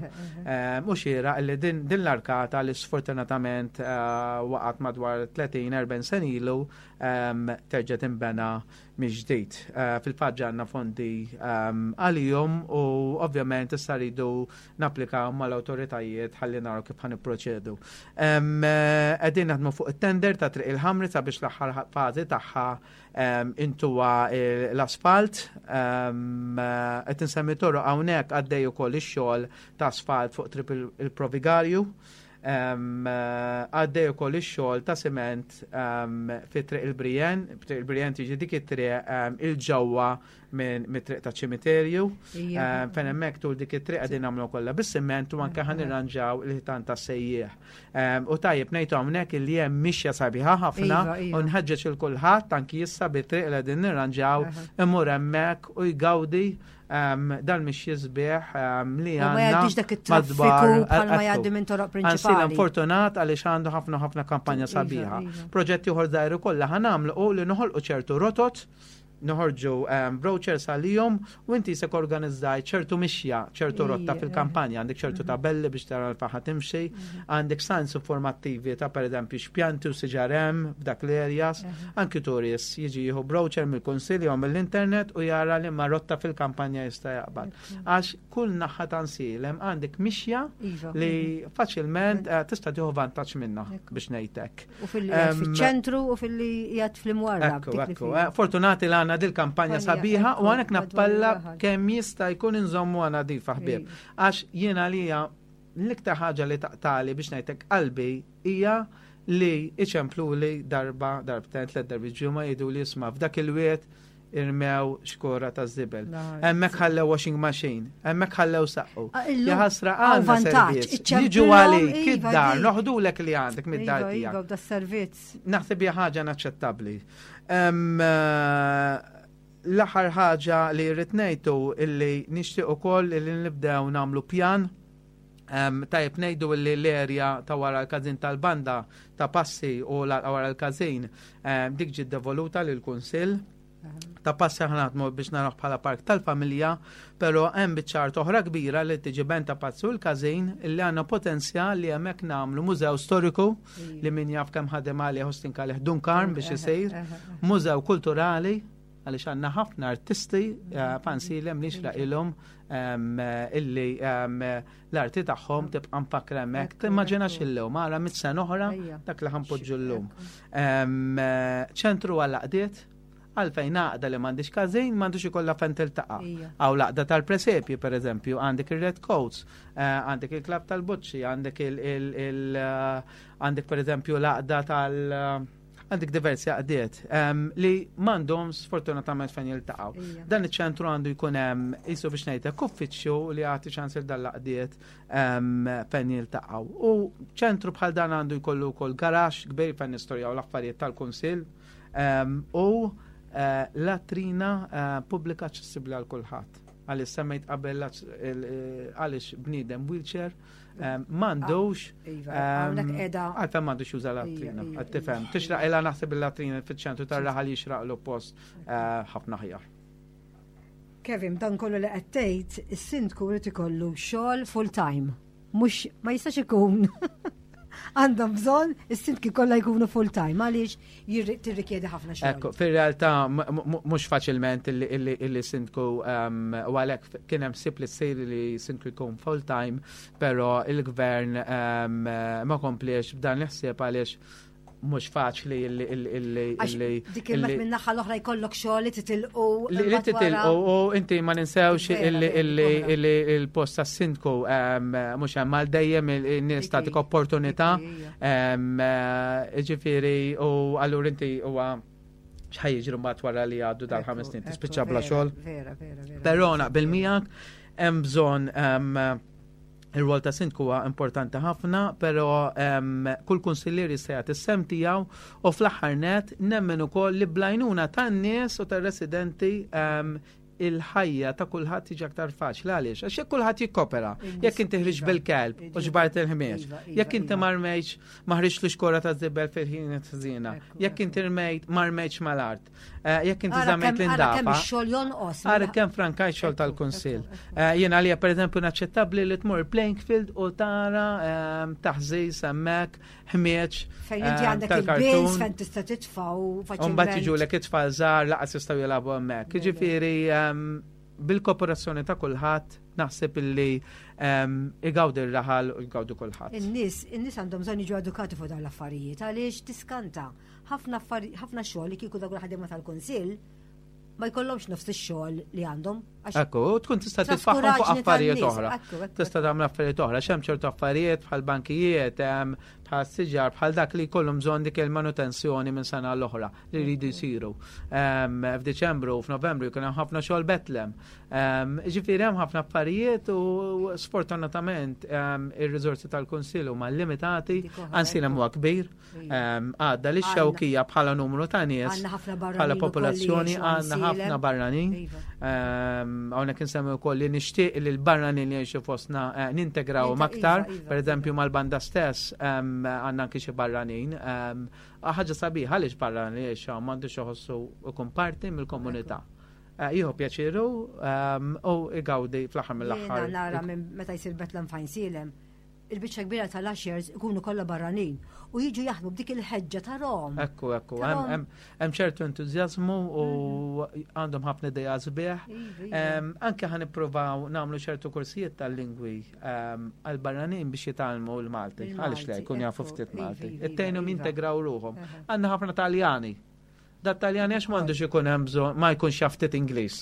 U xieraq li din l-arkata li sfortunatament eh, waqgħet madwar tletin erbgħin sena ilu terġa' tinbena mill-ġdid. Eh, fil-fatt għandna fondi għalihom u ovvjament issa rridu napplikaw mal-awtoritajiet ħalli naraw kif ħa nipproċedu. Qegħdin naħdmu fuq it-tender ta' Triq il-Ħamri sabiex l-aħħar fażi tagħha intuha l-asfalt. Qed insemmi toroq, hawnhekk għaddej ukoll ix-xogħol ta' asfalt fuq Triq il-Provigarju. Għaddej ukoll ix-xogħol ta' siment fi Triq il-Brijen, Triq il-Brijen tiġi dik it-triq il-ġewwa minn mit-triq ta' ċimiterju. Fejn hemmhekk tul dik it-triq qegħdin nagħmlu kollha bis-siment u anke ħa nirranġaw il-ħitan ta' sejjieħ. U tajjeb ngħidu hawnhekk li hemm mixja sabiħa ħafna iva, iva. u nħeġġeġ il kulħadd anki issa bit-triq li qegħdin nirranġaw imur hemmhekk u jgawdi dan mhix jisbieħ li għandna. Ma jgħaddix dak it-traffiku bħalma jgħaddi minn toroq prinċipali. Fortunat għaliex għandu ħafna ħafna kampanja iva, sabiħa. Iva. Proġetti oħra żgħar kollha ħa nagħmlu u li noħolqu ċertu rotot, noħorġu um, brochures għalihom u inti se organizzaj ċertu mixja, ċertu rotta fil-kampanja, għandek ċertu mhm. tabelli biex tara l-faħa timxi, mhm. għandek signs informattivi ta' per eżempju x'pjanti u siġar hemm f'dak l-areas, anki turist jiġi jieħu brochure mill-kunsilli u mill-internet u jara li ma rotta fil-kampanja jista' jaqbad. Għax kull naħa ta' Għajnsielem għandek mixja iva. li faċilment eh, tista' tieħu vantaġġ minnha biex ngħidlek. U fil-ċentru u fil-li jgħad fl-imwarra. Ekku, ekku. Eh, fortunati li għandna dil-kampanja sabiħa u għanek nappella kemm jista' jkun inżommu għana nadifa, ħbieb. Għax jiena li l-iktar ħaġa li taqtagħli biex ngħidlek qalbi hija li iċemplu li darba, darbtejn, tliet darbi ġimgħa, jgħidu li isma', f'dak il-wied irmew xkora ta' zibel. Hemmhekk ħallew washing machine, hemmhekk ħallew saqqu. Ah, illum Jaħasra hawn għandna vantaġġ, servizz. iċċemplilhom, Jiġu għalik iva, id-dar, dik. noħdulek li għandek mid-dar Iva, tiegħek. iva, da servizz. Naħseb hija ħaġa inaċċettabbli. Em, eh, L-aħħar ħaġa li rrid ngħidu illi nixtieq ukoll illi nibdew nagħmlu pjan. Um, tajjeb ngħidu li l-erja ta' wara l-każin tal-banda ta' Passi u la- wara l-każin um, dik ġiet devoluta lil kunsill ta' Passi, ħa naħdmu biex naraw bħala park tal-familja, pero hemm biċċa art oħra kbira li tiġi bejn ta' Passi u l-każin illi għandna potenzjal li hemmhekk nagħmlu mużew storiku li min jaf kemm ħadem għalih Hostin Kalih Dunkarm biex isir, mużew kulturali għaliex għandna ħafna artisti eh, f'Għajnsielem li jixraqilhom illi em, l-arti tagħhom tibqa' mfakkra hemmhekk. Timmaġinax illum, ara mitt sena oħra Ejja. dak li ħa npoġġu llum. Em, eh, Ċentru għall-għaqdiet, għalfejn għaqda li m'għandix każin, m'għandux ikollha fejn tiltaqa'. Ija. Għaw l-għaqda tal-presepju, per eżempju, għandek il-Red Coats, eh, għandek il-Klab tal-Buċċi, għandek il- il- il- eh, għandek per eżempju l-għaqda tal- eh, għandek diversi għaqdiet em, li m'għandhom sfortunatament fejn jiltaqgħu. Ija. Dan iċ-ċentru għandu jkun hemm qisu biex ngħidlek uffiċċju li jagħti ċans il dan l-għaqdiet em, fejn jiltaqgħu. U ċentru bħal dan għandu jkollu wkoll garaxx kbir fejn nistorjaw l-affarijiet tal-kunsill em, u eh, latrina eh, pubblika aċċessibbli għal kulħadd. Għaliex semmejt qabel l- il- eh, għaliex bniedem wheelchair em, m'għandux Iva, em, hawnhekk qiegħda għalfejn m'għandux juża latrina, Ija, ija, għad tifhem. Tixraqilha naħseb il-latrina fiċ-ċentru tar-raħal, jixraqlu post eh, ħafna aħjar. Kevin, dan kollu li qed tgħid, is-sindku jrid ikollu xogħol full time. Mhux ma jistax ikun. Għandhom bżonn is-sindki kollha jkunu full time għaliex tirrikjedi ħafna xogħol. Ekku, fir-realtà mhux faċilment illi sindku um, u għalhekk kien hemm ħsieb li ssir li sindku jkun full time, però il-gvern um, ma kompliex b'dan l-ħsieb għaliex mhux faċli illi illi illi dik il minn naħa l-oħra jkollok xogħol li titilqu. Li titilqu u inti ma ninsewx illi illi il-post tas-sindku mhux hemm għal dejjem, in-nies tagħtik opportunità. Ġifieri u allura inti huwa x'ħa jiġri mbagħad wara li għaddu dal-ħames snin, tispiċċa bla xogħol. Vera, vera, vera. Però naqbel miegħek, hemm bżonn, il-rwol ta' sindku huwa importanti ħafna, però kull kunsillier jista' jagħti s-sehem tiegħu u fl-aħħar net nemmen ukoll li bl-għajnuna tan-nies u tar-residenti il-ħajja ta' kulħadd tiġi aktar faċli. Għaliex? Għax jekk kulħadd jikkopera, jekk inti ħriġt bil-kelb u ġbart il-ħmieġ, iva, iva, jekk inti iva. ma rmejtx ma ħriġt l-ixkora ta' żibel fil-ħin ħżiena, jekk inti rmejt ma rmejtx mal-art, eh, jekk inti żammejt l-indafa. Xogħol jonqos. Ara kemm frankaj xogħol tal-kunsill. Eh, jien għalija, pereżempju, naċċettabbli li tmur playing field u tara ehm, taħżiż hemmhekk, ħmieġ. Fejn inti ehm, għandek il-bins fejn tista' titfa' u faċilment. Mbagħad jiġu it-tfal żgħar laqas jistgħu jilagħbu hemmhekk. Jiġifieri ehm, bil-kooperazzjoni ta' kulħadd naħseb illi igawdi r-raħal u jgawdu kulħadd. In-nies, in-nies għandhom bżonn jiġu edukati fuq dawn l-affarijiet għaliex tiskanta ħafna ħafna xogħol li kieku dawk il-ħaddiema tal-kunsill ma jkollhomx nofs ix-xogħol li għandhom. Ekku, tkun tista' titfaħħom fuq affarijiet oħra. Tista' tagħmel affarijiet oħra, x'hemm ċertu affarijiet bħal bankijiet, bħal siġar, bħal dak li jkollhom bżonn dik il-manutenzjoni minn sena l-oħra li jridu jsiru. F'Diċembru u f'Novembru jkun hemm ħafna xogħol Betlem. Ġifieri hemm ħafna affarijiet u sfortunatament ir-riżorsi tal-Kunsill huma limitati, anzi hemm huwa kbir. Għadda li x-Xewkija bħala numru ta' nies, bħala popolazzjoni, għandna ħafna barranin. Iva. Hawnhekk insemmi wkoll li nixtieq li l-barranin li jgħixu fostna eh, nintegraw aktar, iva, iva, per eżempju mal-banda stess għandna anki xi barranin. Ħaġa sabiħa għaliex barranin li jgħixu m'għandux iħossu ikun parti mill-komunità. Eh, jieħu pjaċiru u igawdi fl-aħħar mill-aħħar. Nara minn meta jsir Betlem f'Għajnsielem, il-biċċa kbira tal-ushers ikunu kollha barranin u jiġu jaħdmu b'dik il-ħeġġa tarahom. Ekku, ekku, hemm ċertu entużjażmu u mhm. għandhom ħafna idea sbieħ. Iva, iva. Anke ħa nippruvaw nagħmlu ċertu korsijiet tal-lingwi għal-barranin biex jitgħallmu l-Malti. Għaliex le, jkun jafu ftit iva, Malti. Ittejnhom jintegraw ruħhom. Għandna ħafna Taljani. Da Taljani għax m'għandux ikun hemm bżonn ma jkunx jaf ftit Ingliż.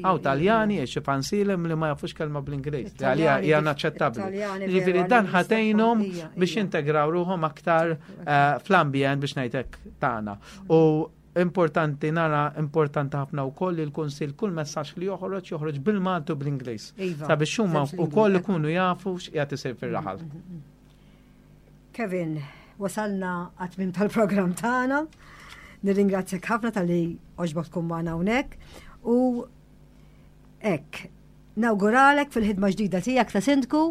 Hawn Taljani għax f'Għajnsielem li ma jafux kelma bl-Ingliż. Għalija hija inaċċettabbli. Ġifieri dan ħa tgħinhom biex jintegraw ruħhom aktar eh, fl-ambjent, biex ngħidlek, tagħna. U importanti nara, importanti ħafna wkoll li l-Kunsill kull messaġġ li joħroġ joħroġ bil-Malti u bl-Ingliż. Iva, sabiex huma wkoll ikunu jafu x'qiegħed isir fir-raħal. Mm, mm, mm. Kevin, wasalna għat-tmiem tal-programm tagħna. Nirringrazzjak ħafna talli għoġbok tkun magħna hawnhekk u hekk nawguralek fil-ħidma ġdida tiegħek ta' sindku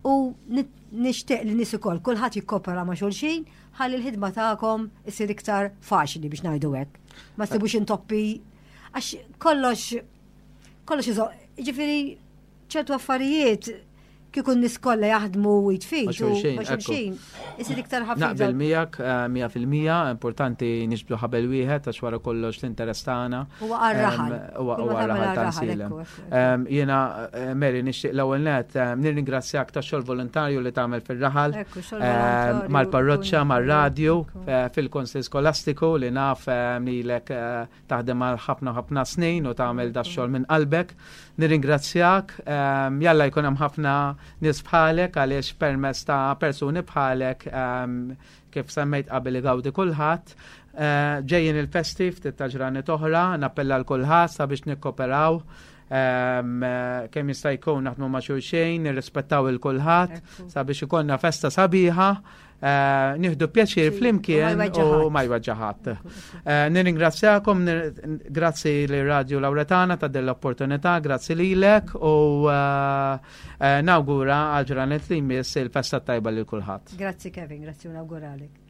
u nixtieq li nies ukoll kulħadd jikkopera ma' xulxin ħalli l-ħidma tagħkom isir iktar faċli, biex ngħidu hekk. Ma ssibux intoppi għax kollox kollox, ġifieri ċertu affarijiet kieku n-nies kollha jaħdmu id f'id Ma' xulxin, ma' xulxin, isir iktar ħafif. Naqbel miegħek eh, mija fil-mija, importanti niġbdu ħabel wieħed għax wara kollox l-interess tagħna. Huwa għar-raħal. Em, Huwa Kull ma huwa tagħmel raħal ta' għar-raħal, Għajnsielem. ekku, ekku, ekku. Em, Jiena, eh, Mary, nixtieq l-ewwel net em, nirringrazzjak tax-xogħol volontarju li tagħmel fir-raħal. Ekku, xogħol em, volontarju, mal-parroċċa, kun- mar-radju, ekku. eh, fil-Konsil Skolastiku li naf em, lilek eh, taħdem għal ħafna ħafna snin u tagħmel da xogħol minn qalbek. Nirringrazzjak, em, jalla jkun hemm ħafna nies bħalek għaliex permezz ta' persuni bħalek em, kif semmejt qabel igawdi kulħadd. Eh, Ġejjin il-festi ftit ta' ġranet oħra, nappella l kulħadd sabiex nikkoperaw em, eh, kemm jista' jkun naħdmu ma' xulxin, nirrispettaw il kulħadd Ekku. sabiex ikollna festa sabiħa, eh, nieħdu pjaċir Sì, flimkien u ma jweġġa' u ħadd. ma jweġġa' ħadd. Eh, Nirringrazzjakom, nir- grazzi li Radio Lauretana ta' dell-opportunità, grazzi lilek u eh, eh, nawgura għal ġranet li jmiss il-festa tajba lil kulħadd. Grazzi Kevin, grazzi u nawguralek.